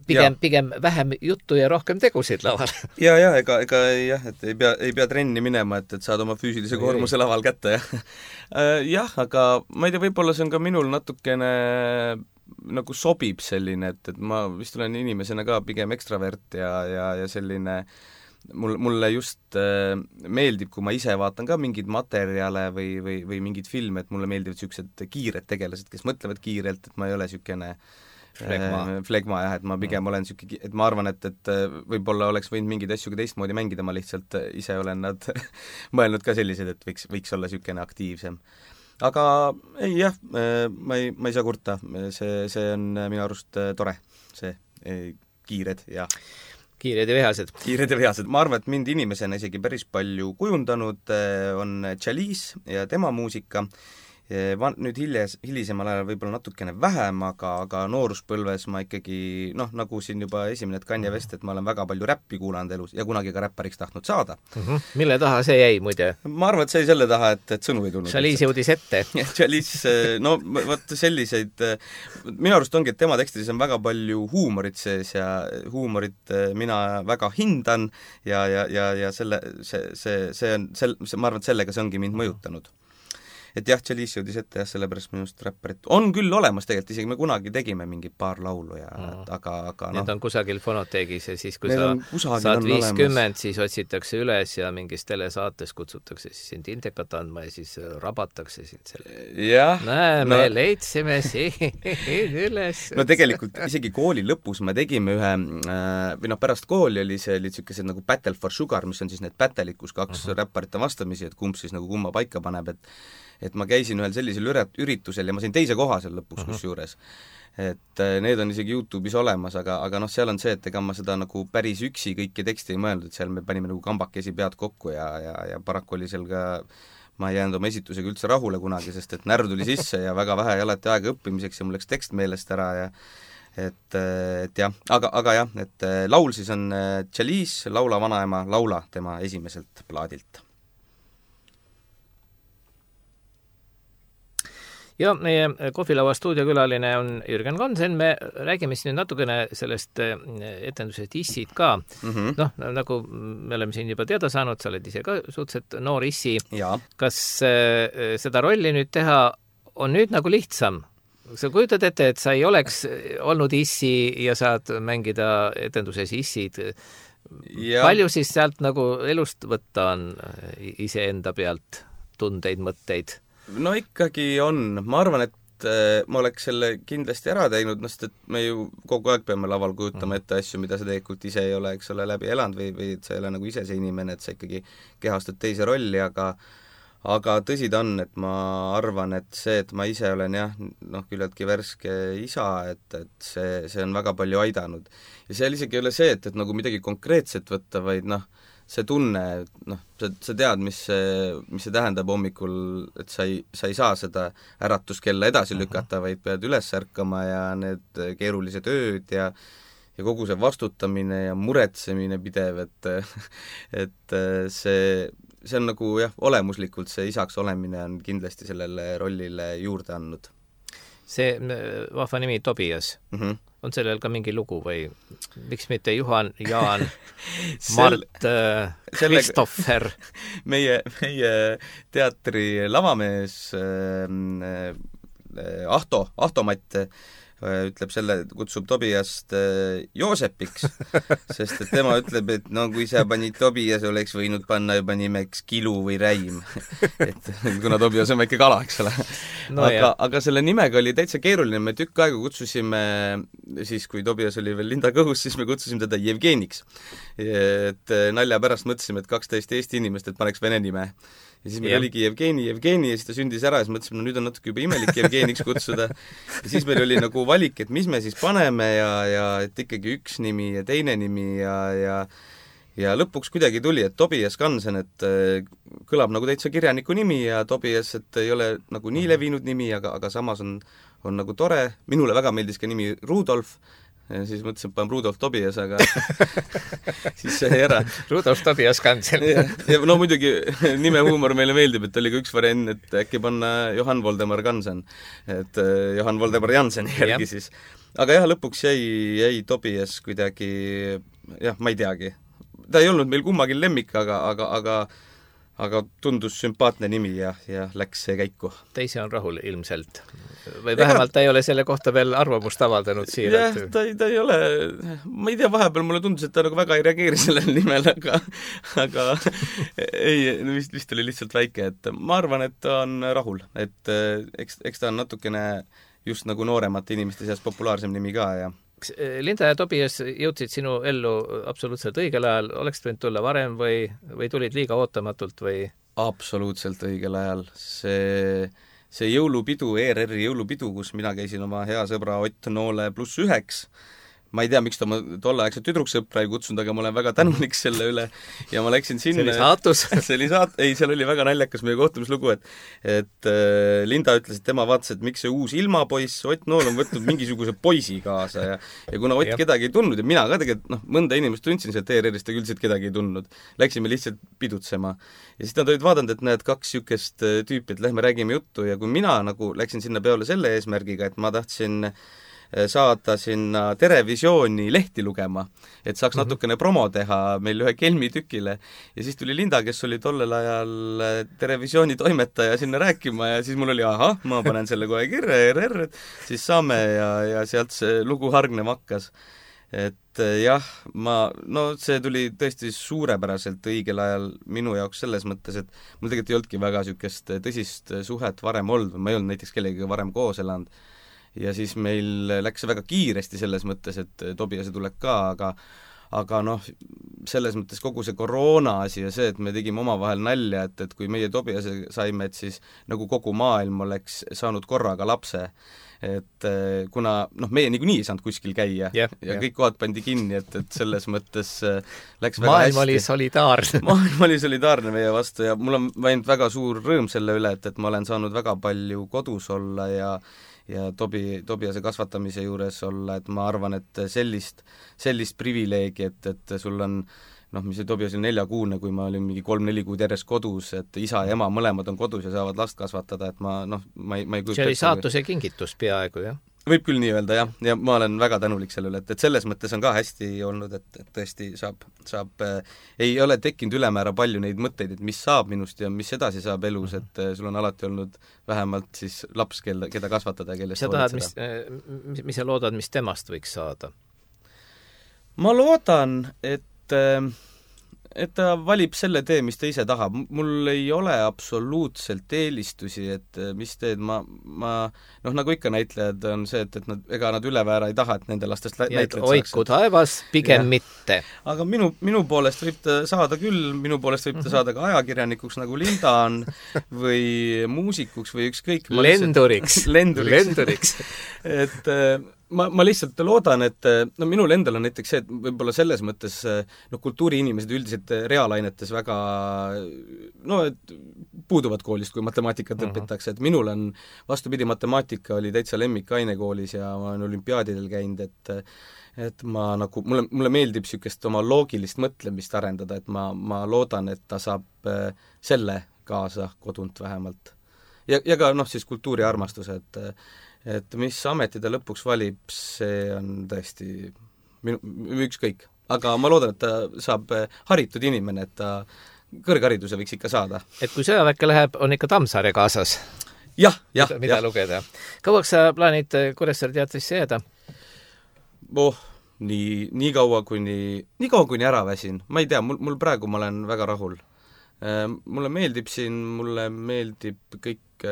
pigem, pigem vähem juttu ja rohkem tegusid laval. ja, ja, ega, ega jah, et ei pea, ei pea trenni minema, et, et saad oma füüsilise koormuse laval kätte, jah. jah, aga ma ei tea, võib-olla see on ka minul natukene nagu sobib selline, et, et ma vist olen inimesena ka pigem ekstravert ja, ja, ja selline mul, mulle just äh, meeldib, kui ma ise vaatan ka mingeid materjale või, või, või mingeid filme, et mulle meeldivad niisugused kiired tegelased, kes mõtlevad kiirelt, et ma ei ole niisugune flegma, äh, flegma jah, et ma pigem mm. olen niisugune, et ma arvan, et, et võib-olla oleks võinud mingeid asju ka teistmoodi mängida, ma lihtsalt ise olen nad mõelnud ka sellised, et võiks, võiks olla niisugune aktiivsem. Aga ei jah, ma ei, ma ei saa kurta, see, see on minu arust tore, see ei, kiired ja kiired ja vihased. Kiired ja vihased. Ma arvan, et mind inimesena isegi päris palju kujundanud on Chalice ja tema muusika. Van, nüüd hiljes, hilisemal ajal võib-olla natukene vähem, aga, aga nooruspõlves ma ikkagi, noh, nagu siin juba esimene, et Kanye West, et ma olen väga palju räppi kuulanud elus ja kunagi ka räppariks tahtnud saada. Mm-hmm. Mille taha see jäi, muide? Ma arvan, et see jäi selle taha, et, et sõnu ei tulnud. Chalice jõudis ette. Chalice, no vaat selliseid, minu arust ongi, et tema tekstides on väga palju huumorit sees ja huumorit mina väga hindan ja, ja, ja, ja selle, see, see, see on, sel, see, ma arvan, et sellega see ongi mind mõjutanud. Et jah, Chalice jõudis ette jah, sellepärast minust räpparit on küll olemas tegelikult, isegi me kunagi tegime mingi paar laulu ja mm. aga, aga noh. Need on kusagil fonoteegis ja siis, kui sa saad viiskümmend, siis otsitakse üles ja mingis telesaates kutsutakse siis sind intekat andma ja siis rabatakse sind selle. Jah. Näe, me no, leidsime siin üles. No tegelikult isegi kooli lõpus me tegime ühe, või noh, pärast kooli oli see, oli niisugused nagu Battle for Sugar, mis on siis need battle'id, kus kaks uh-huh. räpparite vastamisi, et kumb siis nagu kumma paika paneb, et et ma käisin ühel sellisel üritusel ja ma sain teise koha seal lõpuks uh-huh. kusjuures. Et need on isegi YouTube'is olemas, aga, aga noh, seal on see, et ega ma seda nagu päris üksi kõiki teksti ei mõelnud, et seal me panime nagu kambakesi pead kokku ja, ja, ja paraku oli seal ka, ma ei jäänud oma esitusega üldse rahule kunagi, sest et närv tuli sisse ja väga vähe alati aega õppimiseks ja mul läks tekst meelest ära ja et, et jah, aga, aga jah, et laul siis on Chalice, Laula vanaema, laula tema esimeselt plaadilt. Ja meie kohvilaua stuudiokülaline on Jürgen Konsen, me räägime siin natukene sellest etendusest Issid ka. Mm-hmm. Noh, nagu me oleme siin juba teada saanud, sa oled ise ka suhteliselt noor Issi. Ja. Kas seda rolli nüüd teha on nüüd nagu lihtsam? Sa kujutad ette, et sa ei oleks olnud Issi ja saad mängida etenduses Issid. Ja. Palju siis sealt nagu elust võtta on iseenda pealt tundeid, mõtteid? No ikkagi on, ma arvan, et äh, ma oleks selle kindlasti ära teinud, noh, sest et me ju kogu aeg peame laval kujutama ette asju, mida sa tegelikult ise ei ole, eks ole, läbi elanud või, või et sa ei ole nagu ise see inimene, et sa ikkagi kehastad teise rolli, aga aga tõsi ta on, et ma arvan, et see, et ma ise olen jah, noh, küllaltki värske isa, et, et see, see on väga palju aidanud. Ja seal isegi ei ole see, et, et nagu midagi konkreetset võtta, vaid noh, see tunne, noh, sa, sa tead, mis see, mis see tähendab hommikul, et sa ei, sa ei saa seda äratuskella edasi lükata, vaid pead üles ärkama ja need keerulised ööd ja ja kogu see vastutamine ja muretsemine pidev, et et see, see on nagu jah, olemuslikult see isaks olemine on kindlasti sellele rollile juurde andnud. See vahva nimi Tobias, mm-hmm. on sellel ka mingi lugu või miks mitte Juhan, Jaan, Mart, Kristoffer? meie, meie teatri lavamees äh, Ahto, Ahto Matt ütleb selle, kutsub Tobiast Joosepiks, sest et tema ütleb, et no kui sa panid Tobias, oleks võinud panna juba nimeks Kilu või Räim. Et kuna Tobias on väike kala, eks ole. No, aga, aga selle nimega oli täitsa keeruline, me tükk aega kutsusime, siis kui Tobias oli veel linda kõhus, siis me kutsusime teda Jevgeniks. Et nalja pärast mõtlesime, et kaks täiesti Eesti inimest, et paneks vene nime. Ja siis meil yeah. oligi Jevgeni, Jevgeni ja siis ta sündis ära ja siis mõtlesime, no nüüd on natuke juba imelik Jevgeniks kutsuda. Ja siis meil oli nagu valik, et mis me siis paneme ja, ja et ikkagi üks nimi ja teine nimi ja, ja ja lõpuks kuidagi tuli, et Tobias Kansen, et kõlab nagu täitsa kirjaniku nimi ja Tobias, et ei ole nagu nii levinud nimi, aga, aga samas on, on nagu tore. Minule väga meeldis ka nimi Rudolf, ja siis mõtlesin, et panen Rudolf Tobias, aga siis sai ära. Rudolf Tobias Gansen. ja, ja no muidugi nime huumor meile meeldib, et oli ka üks variant, et äkki panna Johan Voldemar Gansen, et Johan Voldemar Jansen järgi ja. Siis. Aga jah, lõpuks jäi, jäi Tobias kuidagi, jah, ma ei teagi. Ta ei olnud meil kummagi lemmik, aga, aga, aga aga tundus sümpaatne nimi ja, ja läks see käiku. Teise on rahul ilmselt. Või vähemalt ta ei ole selle kohta veel arvamust avaldanud siiralt. Jah, ta, ta ei ole, ma ei tea, vahepeal mulle tundus, et ta nagu väga ei reageeri sellele nimele, aga, aga ei, vist, vist oli lihtsalt väike, et ma arvan, et ta on rahul, et eks, eks ta on natukene just nagu nooremate inimeste seas populaarsem nimi ka ja Linda ja Tobias jõudsid sinu ellu absoluutselt õigel ajal, oleks võinud tulla varem või, või tulid liiga ootamatult või? Absoluutselt õigel ajal. See, see jõulupidu, E R R-i jõulupidu, kus mina käisin oma hea sõbra Ott Noole pluss üheks, ma ei tea, miks ta oma tolleaegset tüdruksõpra ei kutsunud, aga ma olen väga tänulik selle üle ja ma läksin sinna. See oli saatus. see oli saat-, ei, seal oli väga naljakas meie kohtumislugu, et et äh, Linda ütles, et tema vaatas, et miks see uus ilmapoiss, Ott Nool on võtnud mingisuguse poisi kaasa ja, ja kuna Ott kedagi ei tundnud ja mina ka tegelikult, noh, mõnda inimest tundsin sealt E R R-ist, aga üldiselt kedagi ei tundnud. Läksime lihtsalt pidutsema. Ja siis nad olid vaadanud, et näed kaks sükest tüüpi, et lähme räägime juttu ja kui mina nagu läksin sinna peole selle eesmärgiga, et ma tahtsin saada sinna Terevisiooni lehti lugema, et saaks mm-hmm. natukene promo teha meil ühe Kelmi tükile ja siis tuli Linda, kes oli tollel ajal Terevisiooni toimetaja sinna rääkima ja siis mul oli, ahah, ma panen selle kohe kirja, E R R, siis saame ja, ja sealt see lugu hargnema hakkas. Et jah, ma, no see tuli tõesti suurepäraselt õigel ajal minu jaoks selles mõttes, et mul tegelikult ei olnudki väga niisugust tõsist suhet varem olnud, ma ei olnud näiteks kellegagi varem koos elanud. Ja siis meil läks väga kiiresti selles mõttes, et Tobiase tuleb ka, aga aga noh, selles mõttes kogu see koroona asi ja see, et me tegime omavahel nalja, et, et kui meie Tobiase saime, et siis nagu kogu maailm oleks saanud korraga lapse. Et kuna, noh, meie niikuinii ei saanud kuskil käia yeah, ja yeah. kõik kohad pandi kinni, et, et selles mõttes läks väga maailm hästi. oli solidaarne. maailm oli solidaarne meie vastu ja mul on ainult väga suur rõõm selle üle, et, et ma olen saanud väga palju kodus olla ja ja Tobi, Tobiase kasvatamise juures olla, et ma arvan, et sellist, sellist privileegi, et, et sul on, noh, mis see Tobias oli neljakuune, kui ma olin mingi kolm-neli kuud järjest kodus, et isa ja ema mõlemad on kodus ja saavad last kasvatada, et ma, noh, ma ei, ma ei kujuta. See oli saatuse kingitus peaaegu, jah? Võib küll nii öelda, jah, ja ma olen väga tänulik selle üle, et, et selles mõttes on ka hästi olnud, et, et tõesti saab, saab äh, ei ole tekkinud ülemäära palju neid mõtteid, et mis saab minust ja mis edasi saab elus, et äh, sul on alati olnud vähemalt siis laps, kelle, keda kasvatada ja kellest sa tahad, mis, mis, mis sa loodad, mis temast võiks saada? Ma loodan, et äh, et ta valib selle tee, mis ta ise tahab. Mul ei ole absoluutselt eelistusi, et mis teed ma, ma noh, nagu ikka näitlejad on see, et, et nad, ega nad üleväära ei taha, et nende lastest näitlejad saaks. Oiku taevas, pigem ja. Mitte. Aga minu, minu poolest võib ta saada küll, minu poolest võib ta saada ka ajakirjanikuks, nagu Linda on, või muusikuks või ükskõik. Lenduriks. Lenduriks. Lenduriks. et ma, ma lihtsalt loodan, et no minul endal on näiteks see, et võib-olla selles mõttes noh, kultuuriinimesed üldiselt reaalainetes väga no, et puuduvad koolist, kui matemaatikat uh-huh. õpitakse, et minul on vastupidi, matemaatika oli täitsa lemmikaine koolis ja ma olen olümpiaadidel käinud, et et ma nagu, mulle, mulle meeldib niisugust oma loogilist mõtlemist arendada, et ma, ma loodan, et ta saab selle kaasa kodunt vähemalt. Ja, ja ka noh, siis kultuuriarmastuse, et et mis ameti ta lõpuks valib, see on tõesti minu, ükskõik. Aga ma loodan, et ta saab haritud inimene, et ta kõrghariduse võiks ikka saada. Et kui sõjaväkke läheb, on ikka Tammsaare kaasas? Jah, jah. Mida jah. lugeda? Kauaks sa plaanid Kuressaare teatrisse jääda? Oh, nii, nii kaua kuni, nii kaua kuni ära väsin. Ma ei tea, mul, mul praegu ma olen väga rahul. Mulle meeldib siin, mulle meeldib kõik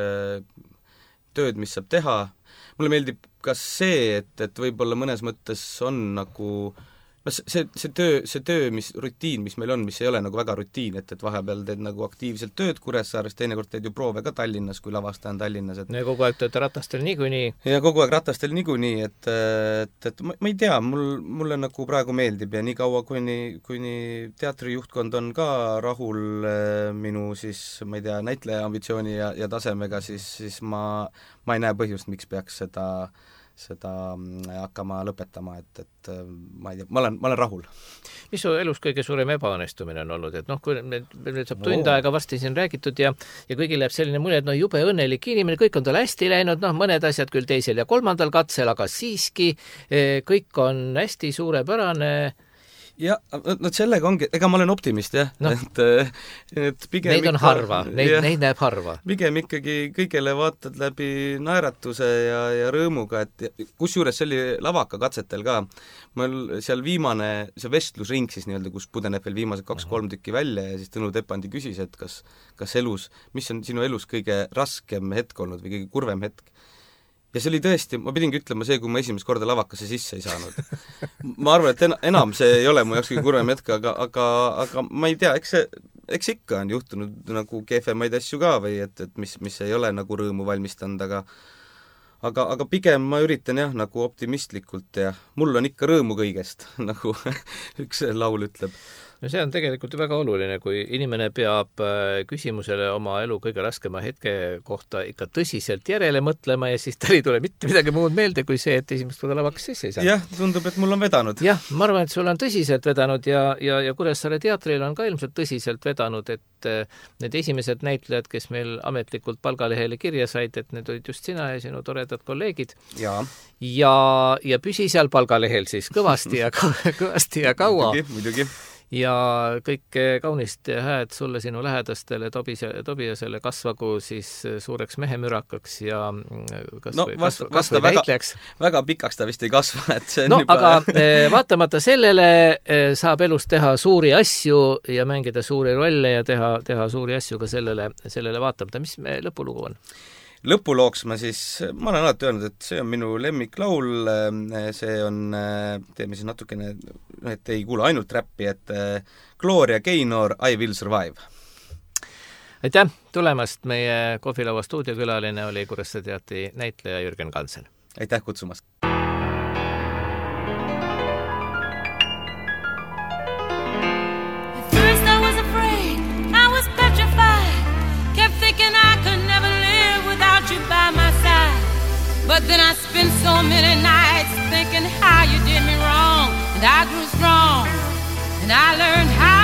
tööd, mis saab teha. Mulle meeldib ka see, et, et võib-olla mõnes mõttes on nagu no see, see töö, see töö, mis rutiin, mis meil on, mis ei ole nagu väga rutiin, et, et vahepeal teed nagu aktiivselt tööd Kuressaares, teinekord teed ju proove ka Tallinnas, kui lavastaja on Tallinnas. Et... ja kogu aeg tööd ratastel niikuinii. ja kogu aeg ratastel niikuinii, et, et, et ma, ma ei tea, mul, mulle nagu praegu meeldib ja nii kaua, kuni, kuni teatrijuhtkond on ka rahul minu siis, ma ei tea, näitleja ambitsiooni ja, ja tasemega, siis, siis ma, ma ei näe põhjust, miks peaks seda seda hakkama lõpetama, et, et ma ei tea, ma olen, ma olen rahul. Mis su elus kõige suurem ebaõnnestumine on olnud, et noh, kui nüüd saab tund no. aega varsti siin räägitud ja, ja kõigil läheb selline mulje, et noh, jube õnnelik inimene, kõik on tal hästi läinud, noh, mõned asjad küll teisel ja kolmandal katsel, aga siiski kõik on hästi suurepärane. Ja, no sellega ongi, ega ma olen optimist, jah. No. Et, et pigem neid on ikka, harva, neid, ja, neid näeb harva. Pigem ikkagi kõigele vaatad läbi naeratuse ja, ja rõõmuga, et kus juures see oli lavaka katsetel ka. Mul seal viimane, see vestlusring siis nii-öelda, kus pudeneb veel viimased kaks-kolm tükki välja ja siis Tõnu Tepandi küsis, et kas, kas elus, mis on sinu elus kõige raskem hetk olnud või kõige kurvem hetk. Ja see oli tõesti, ma pidingi ütlema see, kui ma esimest korda lavakasse sisse ei saanud. Ma arvan, et en, enam see ei ole mu jaoks kõige kurvem hetk, aga, aga, aga ma ei tea, eks see, eks ikka on juhtunud nagu kehvemaid asju ka või et, et mis, mis ei ole nagu rõõmu valmistanud, aga aga, aga pigem ma üritan jah, nagu optimistlikult ja mul on ikka rõõmu kõigest, nagu üks laul ütleb. No see on tegelikult väga oluline, kui inimene peab küsimusele oma elu kõige raskema hetke kohta ikka tõsiselt järele mõtlema ja siis tal ei tule mitte midagi muud meelde kui see, et esimest korda lavaks sisse ei saa. Jah, tundub, et mul on vedanud. Jah, ma arvan, et sul on tõsiselt vedanud ja, ja, ja Kuressaare teatril on ka ilmselt tõsiselt vedanud, et need esimesed näitlejad, kes meil ametlikult palgalehele kirja said, et need olid just sina ja sinu toredad kolleegid. Ja, ja, ja püsi seal palgalehel siis kõvasti ja, kõvasti ja kaua. Muidugi, muidugi. Ja kõik kaunist hääd sulle sinu lähedastele Tobise, Tobiasele kasvagu siis suureks mehemürakaks ja kas no, või, vasta, kas, kas või väga, väitlejaks. Väga pikaks ta vist ei kasva, et see on no, juba... aga vaatamata sellele saab elus teha suuri asju ja mängida suuri rolle ja teha, teha suuri asju ka sellele, sellele vaatamata. Mis me lõpulugu on? Lõpulooks ma siis, ma olen alati öelnud, et see on minu lemmiklaul, see on, teeme siis natukene, et ei kuule ainult räppi, et Gloria Gaynor, I Will Survive. Aitäh tulemast, meie kohvilaua stuudiokülaline oli Kuressaare teatri näitleja Jürgen Kansen. Aitäh kutsumast! But then I spent so many nights thinking how you did me wrong, and I grew strong, and I learned how